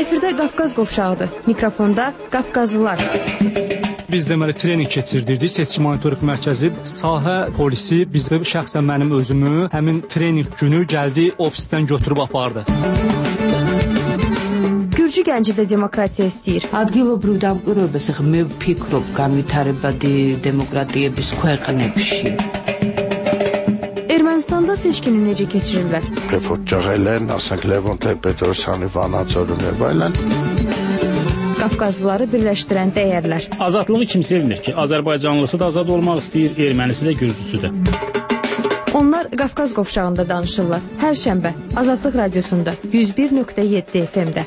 Efirdə Qafqaz qovşağıdır. Mikrofonda Qafqazlılar. Biz deməli trening keçirdirdik. Seçki monitorinq mərkəzi, sahə polisi bizə şəxsən mənim özümü həmin trening günü gəldi ofisdən götürüb apardı. Gürcü gənci də demokratiya istəyir. ადგილობრივ დამკვირვებელს ხე მე ვფიქრობ განვითარებადი დემოკრატიების ქვეყნებში. Ermənistanda seçkini necə keçirirlər? Reformçağել են, ասենք Լևոն Տեր-Պետրոսյանի վանաձորում եւ այլն. Qafqazlıları birləşdirən dəyərlər. Azadlığı kim sevmir ki? Azərbaycanlısı da azad olmaq istəyir, ermənisi də, gürcüsü də. Onlar Qafqaz qovşağında danışırlar. Hər şənbə Azadlıq Radiosunda yüz bir nöqtə yeddi F M-də.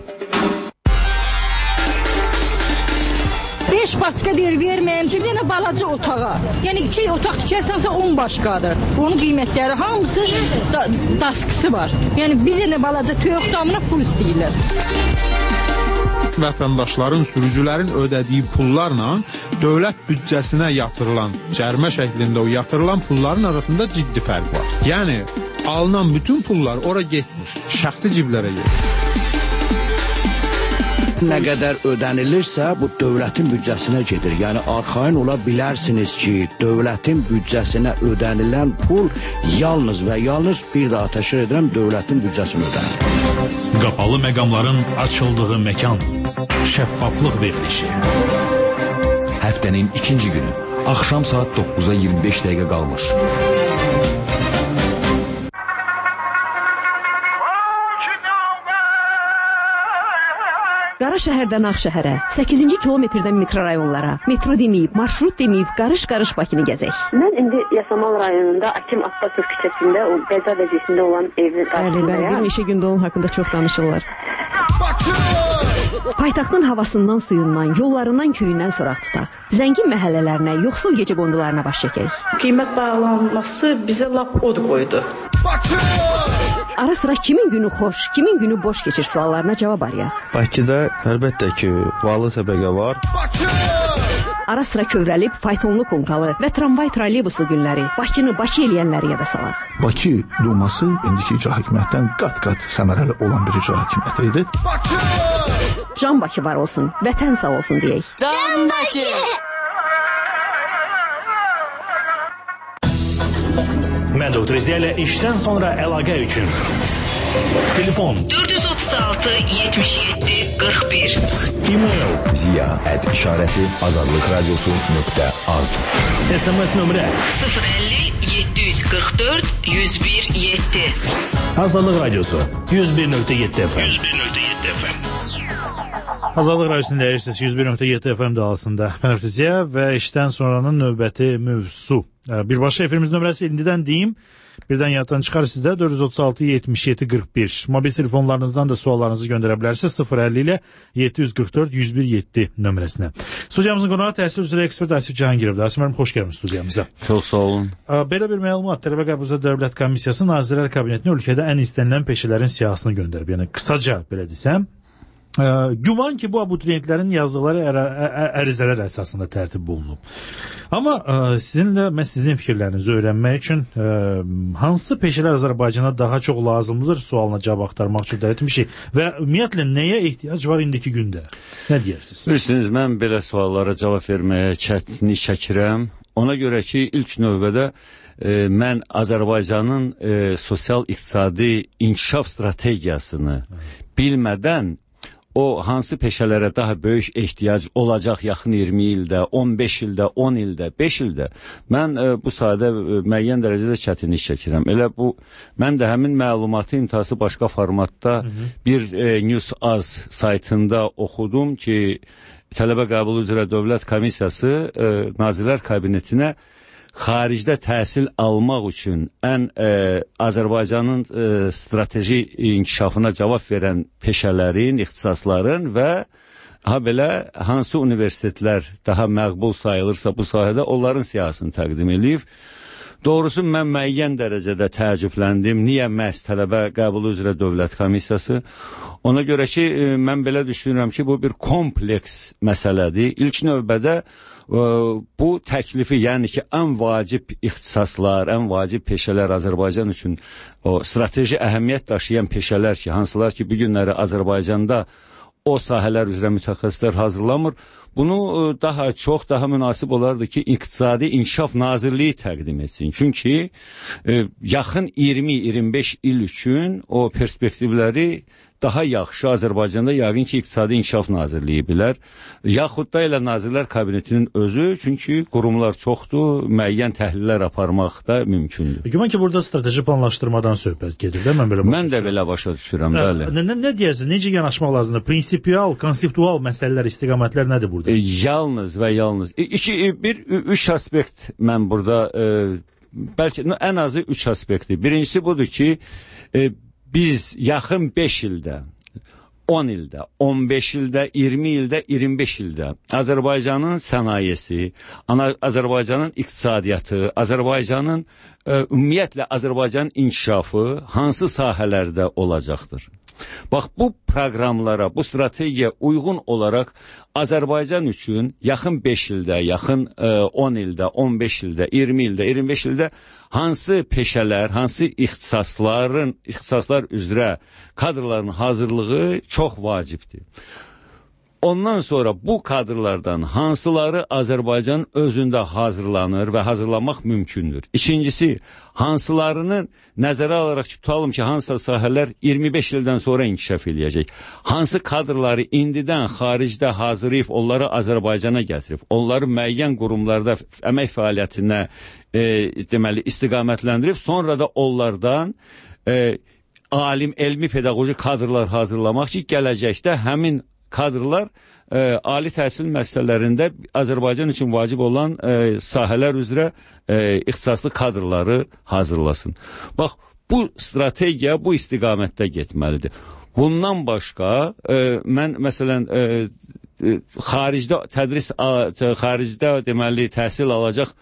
beş başqa deyir, verməyəm ki, yenə balaca otağa. Yəni iki otaq tikərsənsə on başqadır. Onun qiymətləri hamısı da, daskısı var. Yəni bir dənə balaca töyök damına pul istəyirlər. Vətəndaşların, sürücülərin ödədiyi pullarla dövlət büdcəsinə yatırılan, cərimə şəklində o yatırılan pulların arasında ciddi fərq var. Yəni alınan bütün pullar ora getmiş, şəxsi ciblərə gedir. Nə qədər ödənilirsə, bu dövlətin büdcəsinə gedir. Yəni, arxain ola bilərsiniz ki, dövlətin büdcəsinə ödənilən pul yalnız və yalnız bir daha təşkil edən dövlətin büdcəsinə ödənir. Qapalı məqamların açıldığı məkan, şəffaflıq verilişi. Həftənin ikinci günü, axşam saat doqquza iyirmi beş dəqiqə qalmış. Qara şəhərdən Ağşəhərə, səkkizinci kilometrdən mikrorayonlara, metro deməyib, marşrut deməyib, qarış-qarış Bakını gəzək. Mən indi Yasamal rayonunda Akim Abbasov küçəsində, o qəza vəziyyətində olan evin qarşısındayam. Bəli, bəli, bir neçə gündə onun haqqında çox danışırlar. Bakı! Paytaxtın havasından, suyundan, yollarından, köyündən soraq tutaq. Zəngin məhəllələrinə, yoxsul gecə qondularına baş çəkək. Qiymət bağlanması bizə lap od qoydu. Ara sıra kimin günü xoş, kimin günü boş keçir suallarına cavab arayaq. Bakıda əlbəttə ki, varlı təbəqə var. Ara sıra kövrəlib faytonlu konkalı və tramvay trolleybusu günləri Bakını Bakı eləyənləri yada salaq. Bakı Duması indiki icra hakimiyyətdən qat-qat səmərəli olan bir icra hakimiyyəti idi. Can Bakı var olsun, vətən sağ olsun deyək. Can Bakı! Mən Doktor Ziya ilə işdən sonra əlaqə üçün. Telefon dörd yüz otuz altı yetmiş yeddi qırx bir. E-mail ziya at işarəsi azadlıq radiosu nöqtə az. S M S nömrə sıfır əlli yeddi yüz qırx dörd yüz bir yeddi. Azadlıq radiosu yüz bir nöqtə yeddi F M. yüz bir nöqtə yeddi F M. Azadlıq radiosunu dəyirsiniz yüz bir nöqtə yeddi F M dalısında. Mən Doktor Ziya və işdən sonranın növbəti mövzusu. Birbaşa efirimiz nömrəsi indidən deyim. Birdən yaddan çıxar sizdə dörd yüz otuz altı yetmiş yeddi qırx bir. Mobil telefonlarınızdan da suallarınızı göndərə bilərsiniz sıfır əlli ilə yeddi yüz qırx dörd yüz bir yeddi nömrəsinə. Studiyamızın qonağı təhsil üzrə ekspert Asif Cahangirovdur. Asif müəllim, xoş gəlmisiniz studiyamıza. Çox sağ olun. Belə bir məlumat, Tələbə Qəbul Dövlət Komissiyası Nazirlər Kabinetinə ölkədə ən istənilən peşələrin siyahısını göndərib. Yəni qısaca belə desəm, Ə, güman ki, bu abituriyentlərin yazdıqları ər ərizələr əsasında tərtib olunub. Amma ə, sizinlə, mən sizin fikirlərinizi öyrənmək üçün ə, hansı peşələr Azərbaycana daha çox lazımdır sualına cavab axtarmaq üçün dəvət etmişik və ümumiyyətlə nəyə ehtiyac var indiki gündə? Nə deyirsiniz? Bilirsiniz, mən belə suallara cavab verməyə çətinlik çəkirəm. Ona görə ki, ilk növbədə e, mən Azərbaycanın e, sosial-iqtisadi inkişaf strategiyasını bilmədən o hansı peşələrə daha böyük ehtiyac olacaq yaxın iyirmi ildə, on beş ildə, on ildə, beş ildə, mən e, bu sahədə e, müəyyən dərəcədə çətinlik çəkirəm. Elə bu, mən də həmin məlumatı intihası başqa formatda hı -hı. bir e, News.az saytında oxudum ki, Tələbə Qəbulu üzrə Dövlət Komissiyası e, Nazirlər Kabinetinə xaricdə təhsil almaq üçün ən e, Azərbaycanın e, strateji inkişafına cavab verən peşələrin, ixtisasların və ha belə hansı universitetlər daha məqbul sayılırsa bu sahədə onların siyahısını təqdim edib. Doğrusu mən müəyyən dərəcədə təəccübləndim. Niyə məhz Tələbə Qəbulu üzrə Dövlət Komissiyası? Ona görə ki, e, mən belə düşünürəm ki, bu bir kompleks məsələdir. İlk növbədə bu təklifi, yəni ki, ən vacib ixtisaslar, ən vacib peşələr Azərbaycan üçün o strateji əhəmiyyət daşıyan peşələr ki, hansılar ki, bu günləri Azərbaycanda o sahələr üzrə mütəxəssislər hazırlamır. Bunu daha çox, daha münasib olardı ki, İqtisadi İnkişaf Nazirliyi təqdim etsin. Çünki e, yaxın iyirmi iyirmi beş il üçün o perspektivləri daha yaxşı Azərbaycanda yəqin ki, İqtisadi İnkişaf Nazirliyi bilər. Yaxud da elə Nazirlər Kabinetinin özü, çünki qurumlar çoxdur, müəyyən təhlillər aparmaq da mümkündür. Güman ki, burada strateji planlaşdırmadan söhbət gedir, də mən belə başa Mən də belə başa düşürəm, bəli. Nə, nə, nə deyirsiniz, necə yanaşmaq lazımdır? Prinsipiyal, konseptual məsələlər, istiqamətlər nədir burada? E, yalnız və yalnız. E, iki, bir, üç aspekt mən burada, e, bəlkə no, ən azı üç aspektdir. Birincisi budur ki, e, biz yaxın beş ildə, on ildə, on beş ildə, iyirmi ildə, iyirmi beş ildə Azərbaycanın sənayesi, Azərbaycanın iqtisadiyyatı, Azərbaycanın e, ümumiyyətlə Azərbaycanın inkişafı hansı sahələrdə olacaqdır? Bax, bu proqramlara, bu strategiya uyğun olaraq Azərbaycan üçün yaxın beş ildə, yaxın on ildə, on beş ildə, iyirmi ildə, iyirmi beş ildə hansı peşələr, hansı ixtisasların, ixtisaslar üzrə kadrların hazırlığı çox vacibdir. Ondan sonra bu kadrlardan hansıları Azərbaycan özündə hazırlanır və hazırlamaq mümkündür. İkincisi, hansılarını nəzərə alaraq tutalım ki, hansı sahələr iyirmi beş ildən sonra inkişaf edəcək. Hansı kadrları indidən xaricdə hazırlayıb onları Azərbaycana gətirib, onları müəyyən qurumlarda əmək fəaliyyətinə e, deməli istiqamətləndirib, sonra da onlardan e, alim, elmi, pedaqoji kadrlar hazırlamaq ki, gələcəkdə həmin kadrlar e, ali təhsil məsələlərində Azərbaycan üçün vacib olan e, sahələr üzrə e, ixtisaslı kadrları hazırlasın. Bax, bu strategiya bu istiqamətdə getməlidir. Bundan başqa e, mən məsələn e, e, xaricdə tədris xaricdə deməli təhsil alacaq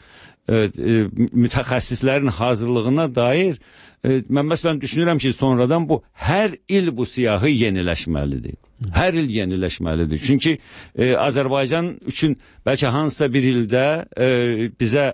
e, e, mütəxəssislərin hazırlığına dair e, mən məsələn düşünürəm ki, sonradan bu hər il bu siyahı yeniləşməlidir. Hər il yeniləşməlidir. Çünki e, Azərbaycan üçün bəlkə hansısa bir ildə e, bizə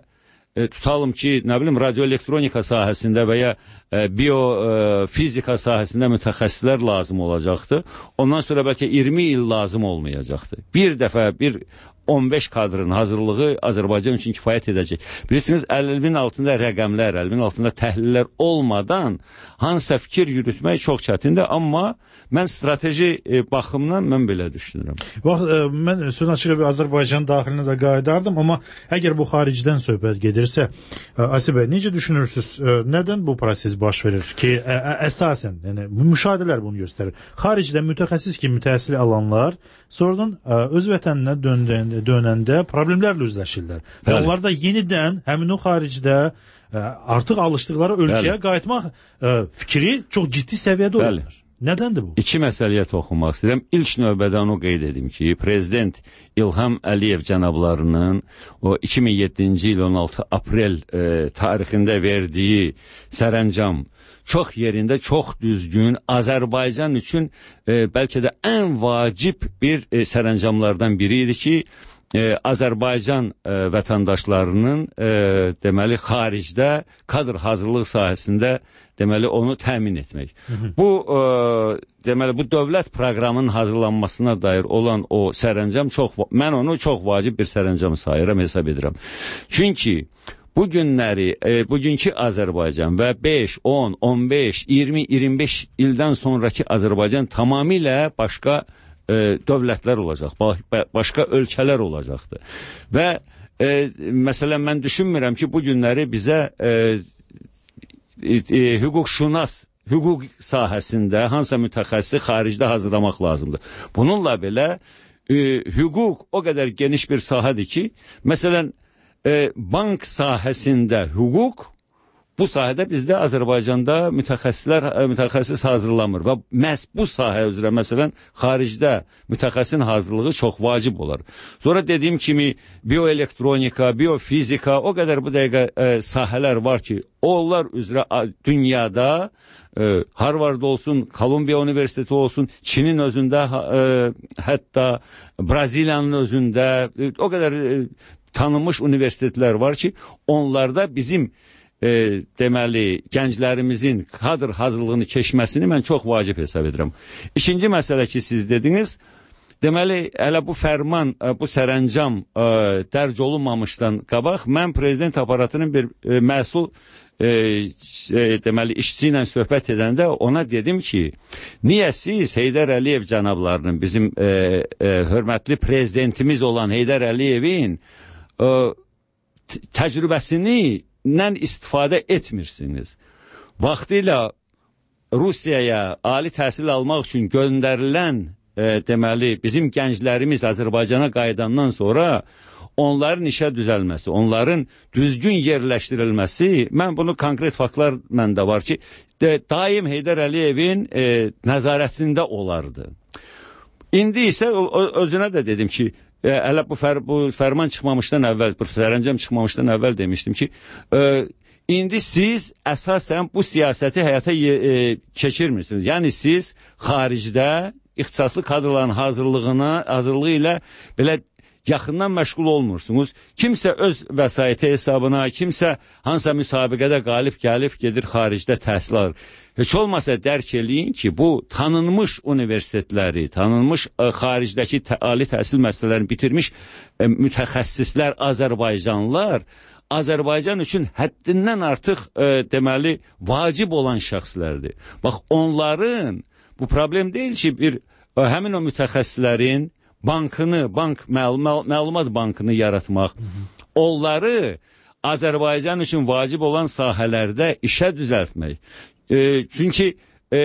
e, tutalım ki, nə bilim, radioelektronika sahəsində və ya e, biofizika sahəsində mütəxəssislər lazım olacaqdır. Ondan sonra bəlkə iyirmi il lazım olmayacaqdır. Bir dəfə bir on beş kadrın hazırlığı Azərbaycan üçün kifayət edəcək. Bilirsiniz, əlmin altında rəqəmlər, əlmin altında təhlillər olmadan hansısa fikir yürütmək çox çətindir, amma mən strateji e, baxımdan mən belə düşünürəm. Bax, e, mən söz açıq bir Azərbaycan daxilinə də qayıdardım, amma əgər bu xaricdən söhbət gedirsə, e, Asi bəy, necə düşünürsünüz? E, nədən bu proses baş verir ki, ə, ə, əsasən, yəni müşahidələr bunu göstərir. Xaricdən mütəxəssis kimi təhsil alanlar sonradan ə, öz vətəninə döndəndə dönəndə problemlərlə üzləşirlər. Və Bəli. onlar da yenidən həmin o xaricdə ə, artıq alışdıqları ölkəyə Bəli. qayıtmaq ə, fikri çox ciddi səviyyədə Bəli. olurlar. Nədəndir bu? İki məsələyə toxunmaq istəyirəm. İlk növbədə onu qeyd edim ki, Prezident İlham Əliyev cənablarının o iki min yeddinci il on altı aprel e, tarixində verdiyi sərəncam çox yerində, çox düzgün, Azərbaycan üçün e, bəlkə də ən vacib bir e, sərəncamlardan biri idi ki, e, Azərbaycan e, vətəndaşlarının e, deməli xaricdə kadr hazırlıq sahəsində deməli onu təmin etmək. Hı -hı. Bu e, deməli bu dövlət proqramının hazırlanmasına dair olan o sərəncam çox, mən onu çox vacib bir sərəncam sayıram, hesab edirəm. Çünki bu günləri, e, bugünkü Azərbaycan və beş, on, on beş, iyirmi, iyirmi beş ildən sonraki Azərbaycan tamamilə başqa e, dövlətlər olacaq, başqa ölkələr olacaqdır. Və e, məsələn, mən düşünmürəm ki, bu günləri bizə e, e, e, hüquqşünas, hüquq sahəsində hansısa mütəxəssisi xaricdə hazırlamaq lazımdır. Bununla belə e, hüquq o qədər geniş bir sahədir ki, məsələn, E, bank sahəsində hüquq, bu sahədə bizdə Azərbaycanda mütəxəssislər mütəxəssis hazırlanmır və məhz bu sahə üzrə məsələn xaricdə mütəxəssisin hazırlığı çox vacib olar. Sonra dediyim kimi bioelektronika, biofizika, o qədər bu dəqiqə e, sahələr var ki, onlar üzrə dünyada e, Harvard olsun, Kolumbiya Universiteti olsun, Çinin özündə, e, hətta Braziliyanın özündə e, o qədər e, tanınmış universitetlər var ki, onlarda bizim e, deməli gənclərimizin kadr hazırlığını keçməsini mən çox vacib hesab edirəm. İkinci məsələ ki, siz dediniz, deməli hələ bu fərman, bu sərəncam e, dərc olunmamışdan qabaq mən prezident aparatının bir e, məsul e, e, deməli işçi ilə söhbət edəndə ona dedim ki, niyə siz Heydər Əliyev cənablarının, bizim e, e, hörmətli prezidentimiz olan Heydər Əliyevin təcrübəsindən istifadə etmirsiniz. Vaxtilə Rusiyaya ali təhsil almaq üçün göndərilən e, deməli bizim gənclərimiz Azərbaycana qayıdandan sonra onların işə düzəlməsi, onların düzgün yerləşdirilməsi, mən bunu konkret faktlar məndə var ki, de, daim Heydər Əliyevin e, nəzarətində olardı. İndi isə özünə də dedim ki, E, hələ bu, fər, bu fərman çıxmamışdan əvvəl, bu sərəncam çıxmamışdan əvvəl demişdim ki, e, indi siz əsasən bu siyasəti həyata e, keçirmirsiniz. Yəni siz xaricdə ixtisaslı kadrların hazırlığına, hazırlığı ilə belə yaxından məşğul olmursunuz. Kimsə öz vəsaiti hesabına, kimsə hansısa müsabiqədə qalib gəlib gedir xaricdə təhsil alır. Heç olmasa dərk eləyin ki, bu tanınmış universitetləri, tanınmış ə, xaricdəki tə, ali təhsil müəssisələrini bitirmiş ə, mütəxəssislər, Azərbaycanlılar, Azərbaycan üçün həddindən artıq ə, deməli vacib olan şəxslərdir. Bax, onların bu problem deyil ki, bir ə, həmin o mütəxəssislərin bankını, bank məlum, məlumat bankını yaratmaq, onları Azərbaycan üçün vacib olan sahələrdə işə düzəltmək. E, çünki e,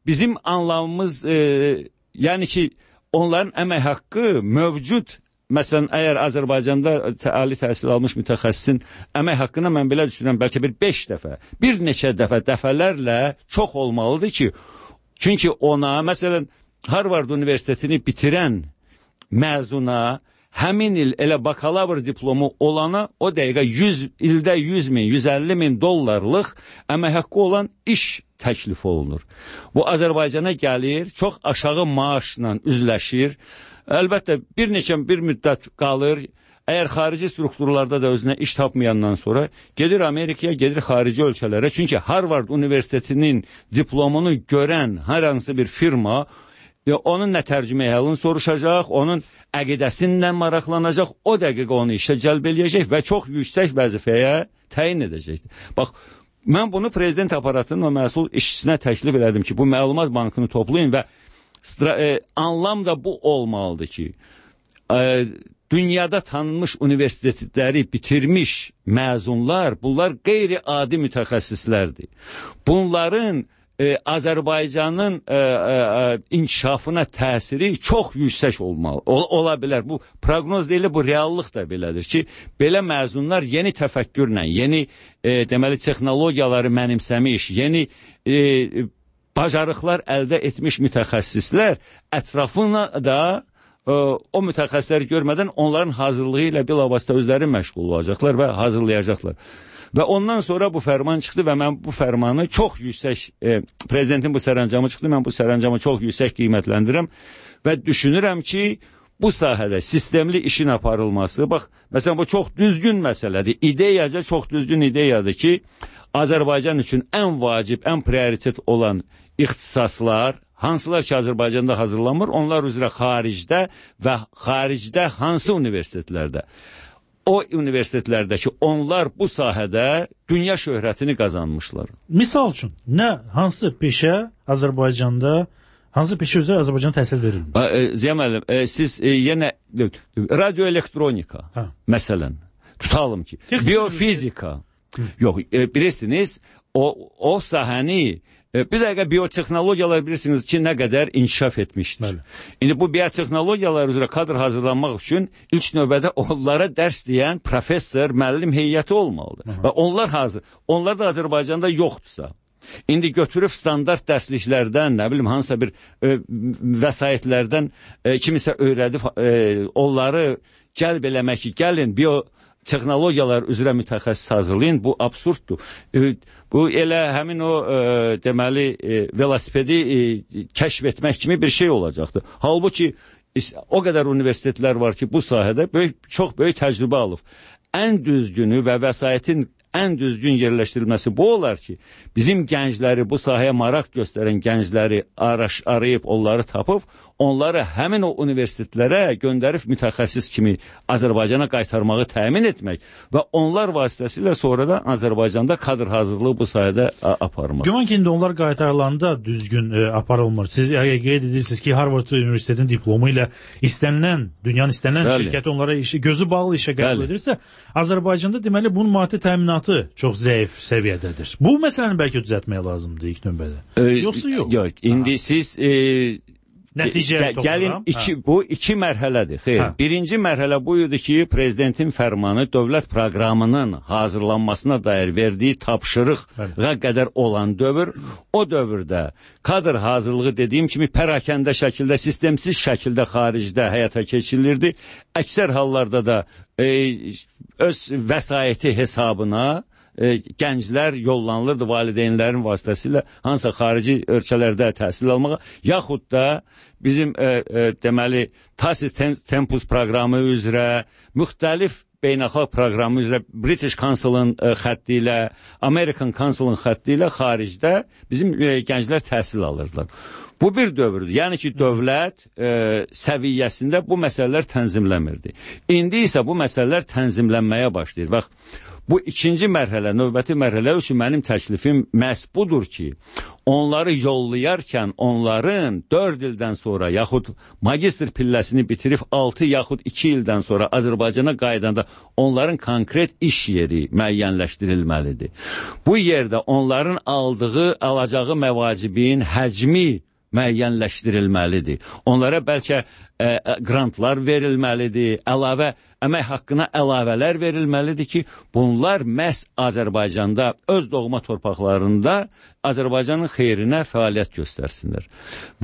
bizim anlamımız, e, yəni ki, onların əmək haqqı mövcud. Məsələn, əgər Azərbaycanda ali təhsil almış mütəxəssisin əmək haqqına mən belə düşünürəm, bəlkə bir beş dəfə, bir neçə dəfə, dəfələrlə çox olmalıdır ki, Çünki ona, məsələn, Harvard Universitetini bitirən məzuna həmin il elə bakalavr diplomu olana o dəqiqə yüz ildə yüz min, yüz əlli min dollarlıq əmək haqqı olan iş təklif olunur. Bu Azərbaycana gəlir, çox aşağı maaşla üzləşir. Əlbəttə bir neçə bir müddət qalır. Əgər xarici strukturlarda da özünə iş tapmayandan sonra gedir Amerikaya, gedir xarici ölkələrə. Çünki Harvard Universitetinin diplomunu görən hər hansı bir firma ya onun nə tərcümə halını soruşacaq, onun əqidəsindən maraqlanacaq, o dəqiqə onu işə cəlb eləyəcək və çox yüksək vəzifəyə təyin edəcəkdir. Bax, mən bunu prezident aparatının o məsul işçisinə təklif elədim ki, bu məlumat bankını toplayın və e, anlam da bu olmalıdır ki, e, dünyada tanınmış universitetləri bitirmiş məzunlar, bunlar qeyri-adi mütəxəssislərdir. Bunların e, Azərbaycanın e, e, inkişafına təsiri çox yüksək olmalı, ol, ola bilər. Bu proqnoz deyil, bu reallıq da belədir ki, belə məzunlar yeni təfəkkürlə, yeni e, deməli texnologiyaları mənimsəmiş, yeni e, bacarıqlar əldə etmiş mütəxəssislər ətrafına da o mütəxəssisləri görmədən onların hazırlığı ilə bilavasitə özləri məşğul olacaqlar və hazırlayacaqlar. Və ondan sonra bu fərman çıxdı və mən bu fərmanı çox yüksək, e, prezidentin bu sərəncamı çıxdı, mən bu sərəncamı çox yüksək qiymətləndirirəm və düşünürəm ki, bu sahədə sistemli işin aparılması, bax, məsələn, bu çox düzgün məsələdir, ideyaca çox düzgün ideyadır ki, Azərbaycan üçün ən vacib, ən prioritet olan ixtisaslar, hansılar ki, Azərbaycanda hazırlanmır, onlar üzrə xaricdə və xaricdə hansı universitetlərdə? O universitetlərdəki onlar bu sahədə dünya şöhrətini qazanmışlar. Misal üçün, nə, hansı peşə Azərbaycanda, hansı peşə üzrə Azərbaycana təhsil verilmir? E, Ziya müəllim, e, siz e, yenə radioelektronika, hə. Məsələn, tutalım ki, Texnik biofizika, yox, e, bilirsiniz, o, o sahəni bir dəqiqə biotexnologiyalar bilirsiniz ki, nə qədər inkişaf etmişdir. Bəli. İndi bu biotexnologiyalar üzrə kadr hazırlanmaq üçün ilk növbədə onlara dərs deyən professor, müəllim heyəti olmalıdır. Aha. Və onlar hazır. Onlar da Azərbaycanda yoxdursa. İndi götürüb standart dərsliklərdən, nə bilim, hansısa bir e, vəsaitlərdən e, kimisə öyrədib e, onları cəlb eləmək ki, gəlin bio texnologiyalar üzrə mütəxəssis hazırlayın, bu absurddur. E, bu elə həmin o e, deməli e, velosipedi e, kəşf etmək kimi bir şey olacaqdır. Halbuki o qədər universitetlər var ki, bu sahədə böyük, çox böyük təcrübə alıb. Ən düzgünü və vəsaitin ən düzgün yerləşdirilməsi bu olar ki, bizim gəncləri, bu sahəyə maraq göstərən gəncləri araş, arayıb, onları tapıb, onları həmin o universitetlərə göndərib mütəxəssis kimi Azərbaycana qaytarmağı təmin etmək və onlar vasitəsilə sonra da Azərbaycanda kadr hazırlığı bu sayədə aparmaq. Güman ki, indi onlar qaytarılanda düzgün e, aparılmır. Siz qeyd edirsiniz ki, Harvard Universitetinin diplomu ilə istənilən, dünyanın istənilən Bəli. Şirkəti onlara işi, gözü bağlı işə qəbul edirsə, Azərbaycanda deməli bunun maddi təminatı çox zəif səviyyədədir. Bu məsələni bəlkə düzəltmək lazımdır ilk növbədə. E, Yoxsa yox? Yox, indi ha. siz... E, Nəticə gəlin iki, bu iki mərhələdir. Xeyr. Hə. Birinci mərhələ bu idi ki, prezidentin fərmanı dövlət proqramının hazırlanmasına dair verdiyi tapşırığa qədər olan dövr, o dövrdə kadr hazırlığı dediyim kimi pərakəndə şəkildə, sistemsiz şəkildə xaricdə həyata keçirilirdi. Əksər hallarda da e, öz vəsaiti hesabına E, gənclər yollanılırdı valideynlərin vasitəsilə hansısa xarici ölkələrdə təhsil almağa, yaxud da bizim e, e, deməli Tasis Tempus proqramı üzrə, müxtəlif beynəlxalq proqramı üzrə British Council'ın e, xətti ilə, American Council'ın xətti ilə xaricdə bizim e, gənclər təhsil alırdılar. Bu bir dövrdür. Yəni ki, dövlət e, səviyyəsində bu məsələlər tənzimləmirdi. İndi isə bu məsələlər tənzimlənməyə başlayır. Bax, bu ikinci mərhələ, növbəti mərhələ üçün mənim təklifim məhz budur ki, onları yollayarkən onların dörd ildən sonra yaxud magistr pilləsini bitirib altı yaxud iki ildən sonra Azərbaycana qaydanda onların konkret iş yeri müəyyənləşdirilməlidir. Bu yerdə onların aldığı, alacağı məvacibin həcmi müəyyənləşdirilməlidir. Onlara bəlkə ə, grantlar verilməlidir, əlavə əmək haqqına əlavələr verilməlidir ki, bunlar məhz Azərbaycanda, öz doğma torpaqlarında Azərbaycanın xeyrinə fəaliyyət göstərsinlər.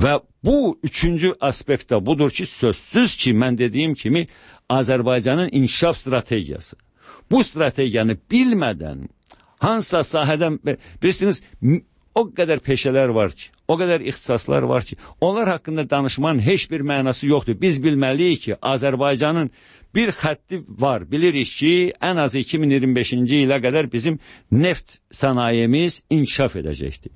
Və bu üçüncü aspekt də budur ki, sözsüz ki, mən dediyim kimi Azərbaycanın inkişaf strategiyası. Bu strategiyanı bilmədən hansısa sahədən, bilirsiniz, o qədər peşələr var ki, o qədər ixtisaslar var ki, onlar haqqında danışmanın heç bir mənası yoxdur. Biz bilməliyik ki, Azərbaycanın bir xətti var. Bilirik ki, ən az iki min iyirmi beşinci ilə qədər bizim neft sənayemiz inkişaf edəcəkdir.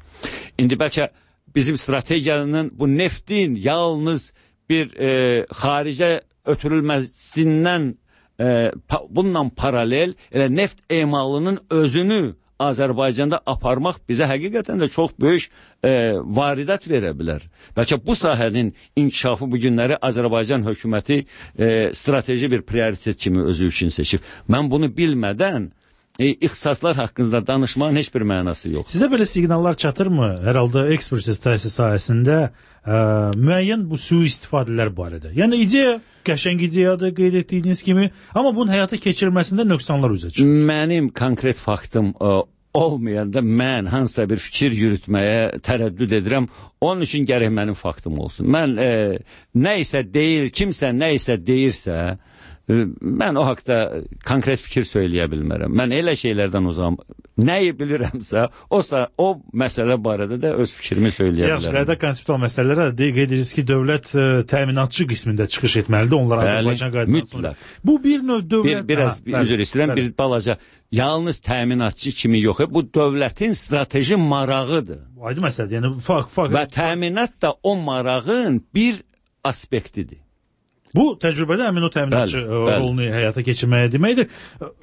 İndi bəlkə bizim strategiyanın bu neftin yalnız bir e, xaricə ötürülməsindən e, pa, bununla paralel elə neft emalının özünü Azərbaycanda aparmaq bizə həqiqətən də çox böyük e, varidat verə bilər. Bəlkə bu sahənin inkişafı bu günləri Azərbaycan hökuməti e, strateji bir prioritet kimi özü üçün seçib. Mən bunu bilmədən e, ixtisaslar haqqında danışmağın heç bir mənası yox. Sizə belə siqnallar çatırmı? Hər halda ekspertiz təhsil sahəsində e, müəyyən bu sui-istifadələr barədə. Yəni ideya qəşəng ideyadır, qeyd etdiyiniz kimi, amma bunun həyata keçirilməsində nöqsanlar üzə çıxır. Mənim konkret faktım ə, olmayanda mən hansısa bir fikir yürütməyə tərəddüd edirəm. Onun üçün gərək mənim faktım olsun. Mən ə, nə isə deyir, kimsə nə isə deyirsə, ə, mən o haqda konkret fikir söyləyə bilmərəm. Mən elə şeylərdən uzağım. Nəyi bilirəmsə, o, o məsələ barədə də öz fikrimi söyləyə Yaxşı, bilərəm. qayda konseptual məsələlərə qeyd edirik ki, dövlət ə, təminatçı qismində çıxış etməlidir. Onlar Azərbaycan qaydadan sonra. Bu bir növ dövlət... Bir, biraz ha, üzr istəyirəm, bir balaca, yalnız təminatçı kimi yox, bu dövlətin strateji marağıdır. Aydın məsələdir, yəni fakt, fakt. Və təminat da o marağın bir aspektidir. Bu təcrübədə həmin o təminatçı bəli, bəli. rolunu həyata keçirməyə deməkdir.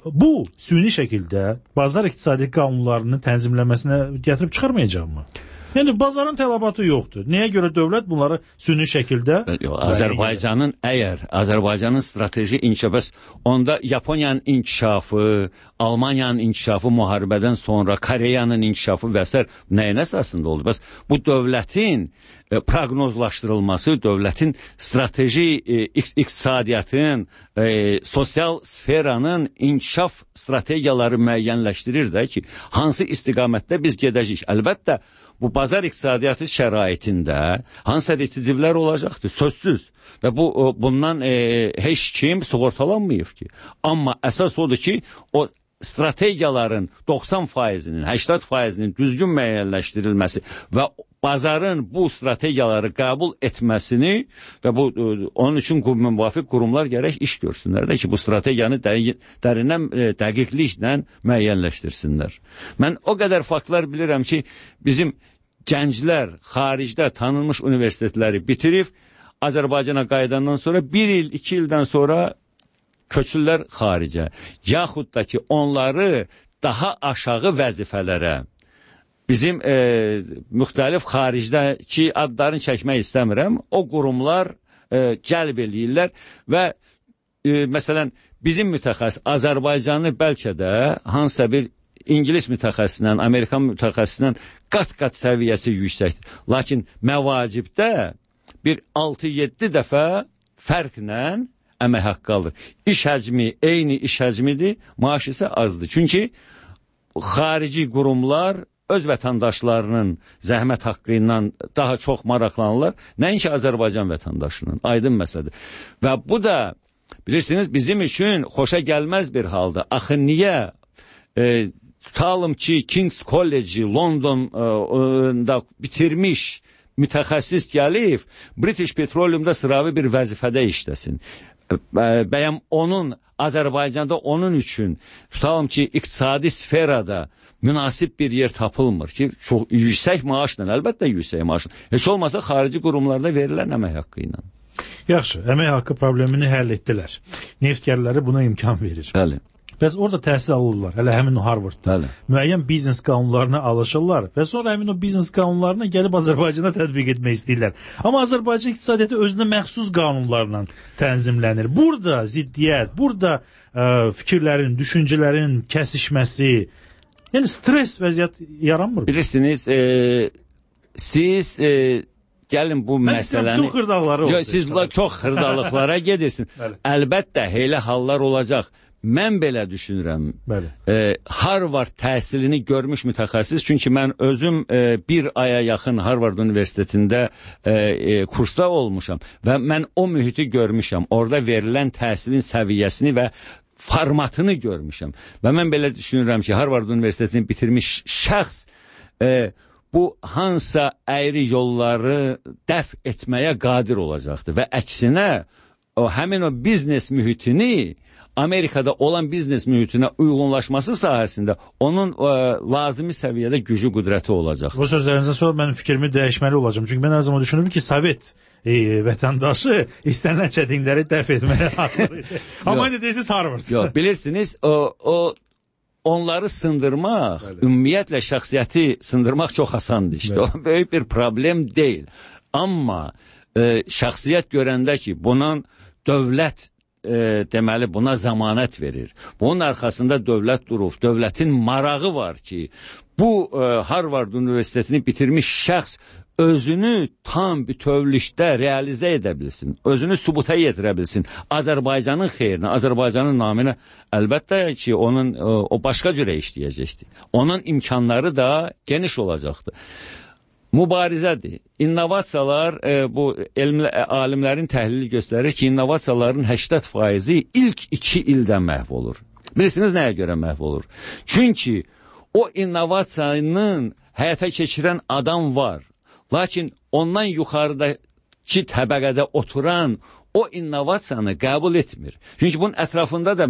Bu süni şəkildə bazar iqtisadi qanunlarının tənzimləməsinə gətirib çıxarmayacaq mı? Yəni bazarın tələbatı yoxdur. Nəyə görə dövlət bunları süni şəkildə... Yox, Azərbaycanın əgər Azərbaycanın strateji inkişafı, onda Yaponiyanın inkişafı, Almaniyanın inkişafı müharibədən sonra, Koreyanın inkişafı və s. nəyin əsasında oldu? Bəs bu dövlətin e, proqnozlaşdırılması, dövlətin strateji e, iqtisadiyyatın, e, sosial sferanın inkişaf strategiyaları müəyyənləşdirir də ki, hansı istiqamətdə biz gedəcəyik. Əlbəttə, bu bazar iqtisadiyyatı şəraitində hansısa resitsivlər olacaqdır, sözsüz. Və bu bundan e, heç kim sığortalanmayıb ki. Amma əsas odur ki, o strategiyaların doxsan faizinin, səksən faizinin düzgün müəyyənləşdirilməsi və bazarın bu strategiyaları qəbul etməsini və bu onun üçün müvafiq qurumlar gərək iş görsünlər də ki, bu strategiyanı dərindən dəqiqliklə müəyyənləşdirsinlər. Mən o qədər faktlar bilirəm ki, bizim gənclər xaricdə tanınmış universitetləri bitirib Azərbaycana qayıdandan sonra bir il, iki ildən sonra köçürlər xaricə. Yaxud da ki, onları daha aşağı vəzifələrə bizim e, müxtəlif xaricdəki adlarını çəkmək istəmirəm. O qurumlar e, cəlb eləyirlər və e, məsələn bizim mütəxəssis Azərbaycanı bəlkə də hansısa bir İngilis mütəxəssisindən, Amerikan mütəxəssisindən qat-qat səviyyəsi yüksəkdir. Lakin məvacibdə bir altı yeddi dəfə fərqlə əmək haqqı alır. İş həcmi eyni iş həcmidir, maaş isə azdır. Çünki xarici qurumlar öz vətəndaşlarının zəhmət haqqı ilə daha çox maraqlanırlar, nəinki Azərbaycan vətəndaşının. Aydın məsələdir. Və bu da, bilirsiniz, bizim üçün xoşa gəlməz bir halda. Axı niyə e, tutalım ki, King's College Londonda bitirmiş mütəxəssis gəlib, British Petroleum'da sıravi bir vəzifədə işləsin. Bəyəm onun, Azərbaycanda onun üçün, tutalım ki, iqtisadi sferada münasib bir yer tapılmır ki, çox yüksək maaşla, əlbəttə yüksək maaşla, heç olmasa xarici qurumlarda verilən əmək haqqı ilə. Yaxşı, əmək haqqı problemini həll etdilər. Neftgərləri buna imkan verir. Bəli. Bəs orada təhsil alırlar, hələ həmin o Harvardda. Bəli. Müəyyən biznes qanunlarına alışırlar və sonra həmin o biznes qanunlarına gəlib Azərbaycana tətbiq etmək istəyirlər. Amma Azərbaycan iqtisadiyyatı özünə məxsus qanunlarla tənzimlənir. Burada ziddiyyət, burada ə, fikirlərin, düşüncələrin kəsişməsi, yəni stres vəziyyət yaranmır. Bilirsiniz, e, siz e, gəlin bu Mən məsələni... bütün xırdaqları oldu. Siz çox xırdalıqlara gedirsin. Əlbəttə, elə hallar olacaq. Mən belə düşünürəm. E, Harvard təhsilini görmüş mütəxəssis, çünki mən özüm e, bir aya yaxın Harvard Universitetində e, e, kursda olmuşam və mən o mühiti görmüşəm. Orada verilən təhsilin səviyyəsini və formatını görmüşəm. Və mən belə düşünürəm ki, Harvard Universitetini bitirmiş şəxs e, bu hansısa əyri yolları dəf etməyə qadir olacaqdır və əksinə o həmin o biznes mühitini Amerikada olan biznes mühitinə uyğunlaşması sahəsində onun ə, lazımi səviyyədə gücü, qüdrəti olacaq. Bu sözlərinizdən sonra mən fikrimi dəyişməli olacağım. Çünki mən hər zaman düşünürüm ki, Sovet e, vətəndaşı istənilən çətinlikləri dəf etməyə hazır idi. Amma indi deyirsiniz Harvard. Yox, bilirsiniz, o, o onları sındırmaq, Bəli. ümumiyyətlə şəxsiyyəti sındırmaq çox asandır işte. Bəli. O böyük bir problem deyil. Amma e, şəxsiyyət görəndə ki, bunun dövlət E, deməli buna zəmanət verir. Bunun arxasında dövlət durub, dövlətin marağı var ki, bu e, Harvard Universitetini bitirmiş şəxs özünü tam bütövlükdə realizə edə bilsin, özünü sübuta yetirə bilsin. Azərbaycanın xeyrinə, Azərbaycanın naminə əlbəttə ki, onun e, o başqa cürə işləyəcəkdir. Onun imkanları da geniş olacaqdır. Mübarizədir. İnnovasiyalar, e, bu elmlə, alimlərin təhlili göstərir ki, innovasiyaların səksən faizi ilk iki ildə məhv olur. Bilirsiniz nəyə görə məhv olur? Çünki o innovasiyanın həyata keçirən adam var. Lakin ondan yuxarıdakı təbəqədə oturan o innovasiyanı qəbul etmir. Çünki bunun ətrafında da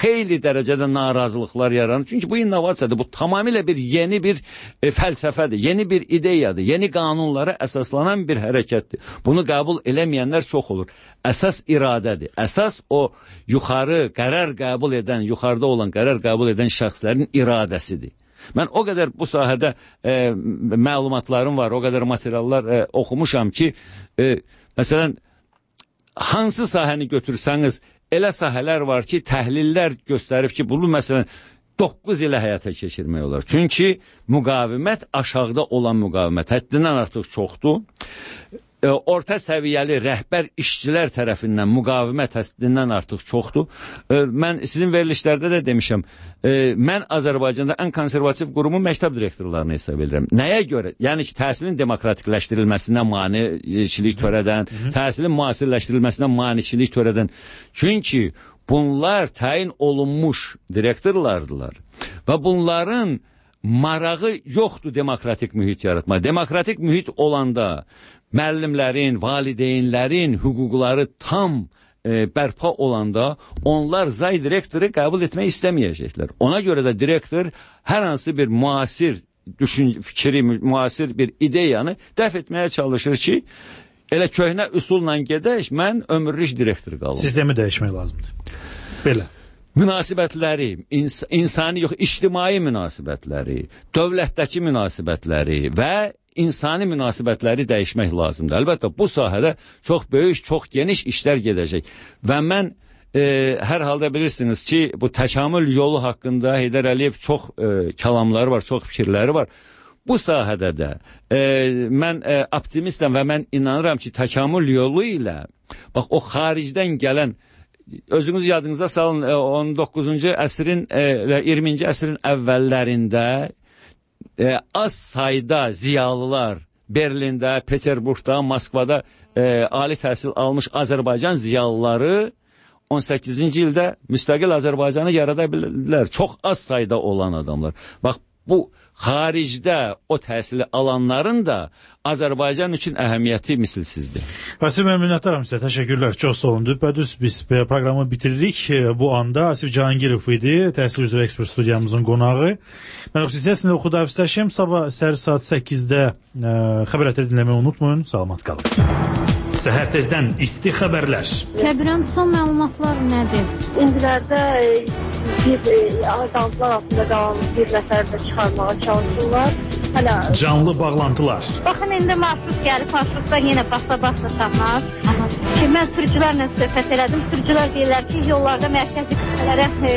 xeyli dərəcədə narazılıqlar yaranır. Çünki bu innovasiyadır, bu tamamilə bir yeni bir e, fəlsəfədir, yeni bir ideyadır, yeni qanunlara əsaslanan bir hərəkətdir. Bunu qəbul eləməyənlər çox olur. Əsas iradədir, əsas o yuxarı qərar qəbul edən, yuxarıda olan qərar qəbul edən şəxslərin iradəsidir. Mən o qədər bu sahədə e, məlumatlarım var, o qədər materiallar e, oxumuşam ki, e, məsələn, hansı sahəni götürsəniz, elə sahələr var ki, təhlillər göstərib ki, bunu məsələn doqquz ilə həyata keçirmək olar. Çünki müqavimət aşağıda olan müqavimət həddindən artıq çoxdur. E, orta səviyyəli rəhbər işçilər tərəfindən müqavimət həddindən artıq çoxdur. E, mən sizin verilişlərdə də demişəm, e, mən Azərbaycanda ən konservativ qurumun məktəb direktorlarını hesab edirəm. Nəyə görə? Yəni ki, təhsilin demokratikləşdirilməsinə maniçilik törədən, təhsilin müasirləşdirilməsinə maniçilik törədən. Çünki bunlar təyin olunmuş direktorlardılar və bunların marağı yoxdur demokratik mühit yaratma. Demokratik mühit olanda müəllimlərin, valideynlərin hüquqları tam e, bərpa olanda onlar zay direktoru qəbul etmək istəməyəcəklər. Ona görə də direktor hər hansı bir müasir düşün fikri, müasir bir ideyanı dəf etməyə çalışır ki, elə köhnə üsulla gedək, mən ömürlük direktor qalım. Sistemi dəyişmək lazımdır. Belə. Münasibətləri, ins insani yox, ictimai münasibətləri, dövlətdəki münasibətləri və insani münasibətləri dəyişmək lazımdır. Əlbəttə, bu sahədə çox böyük, çox geniş işlər gedəcək. Və mən e, hər halda bilirsiniz ki, bu təkamül yolu haqqında Heydər Əliyev çox e, kəlamları var, çox fikirləri var. Bu sahədə də e, mən e, optimistəm və mən inanıram ki, təkamül yolu ilə, bax, o xaricdən gələn, özünüz yadınıza salın, e, on doqquzuncu əsrin, e, iyirminci əsrin əvvəllərində E, az sayda ziyalılar Berlində, Peterburqda, Moskvada e, ali təhsil almış Azərbaycan ziyalıları on səkkizinci ildə müstəqil Azərbaycanı yarada bildilər. Çox az sayda olan adamlar. Bax, bu xaricdə o təhsili alanların da Azərbaycan üçün əhəmiyyəti misilsizdir. Asif, mən minnətdaram sizə. Təşəkkürlər. Çox sağ olun. Düpədüz biz proqramı bitiririk. Bu anda Asif Cahangirov idi, təhsil üzrə ekspert studiyamızın qonağı. Mən sizinlə xudahafizləşim. Sabah səhər saat səkkizdə ə, xəbərləri dinləməyi unutmayın. Salamat qalın. Səhər tezdən isti xəbərlər. Kəbirən son məlumatlar nədir? İndilərdə bir azaltılar altında qalan bir nəfər də çıxarmağa çalışırlar. Hələ canlı bağlantılar. Baxın, indi marşrut gəlib, marşrutda yenə basa-basa tapmaz. Ki, mən sürücülərlə söhbət elədim. Sürücülər deyirlər ki, yollarda mərkəzi qüsələrə e,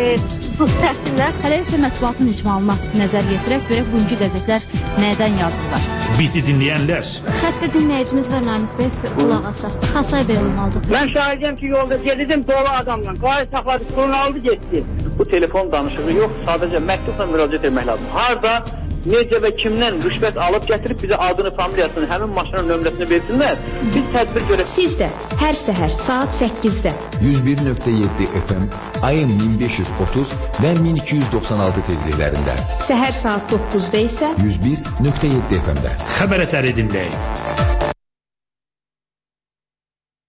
buz təhsillər. Hələ isə mətbuatın icmalına nəzər yetirək, görək bugünkü qəzetlər nədən yazırlar. Bizi dinləyənlər. Xəttə dinləyicimiz var Namiq bəy, qulaq asaq. Xasay bəy olmalıdır. Mən şahidəm ki, yolda gedirdim dolu adamla. Qayı saxladı, pulunu aldı, getdi. Bu telefon danışığı yox, sadəcə məktubla müraciət etmək lazım. Harda, necə və kimdən rüşvət alıb gətirib bizə adını, familiyasını, həmin maşının nömrəsini versinlər. Biz tədbir görək. Siz də hər səhər saat səkkizdə yüz bir nöqtə yeddi F M, A M min beş yüz otuz və min iki yüz doxsan altı tezliklərində. Səhər saat doqquzda isə yüz bir nöqtə yeddi F M-də. Xəbər ətəri dinləyin.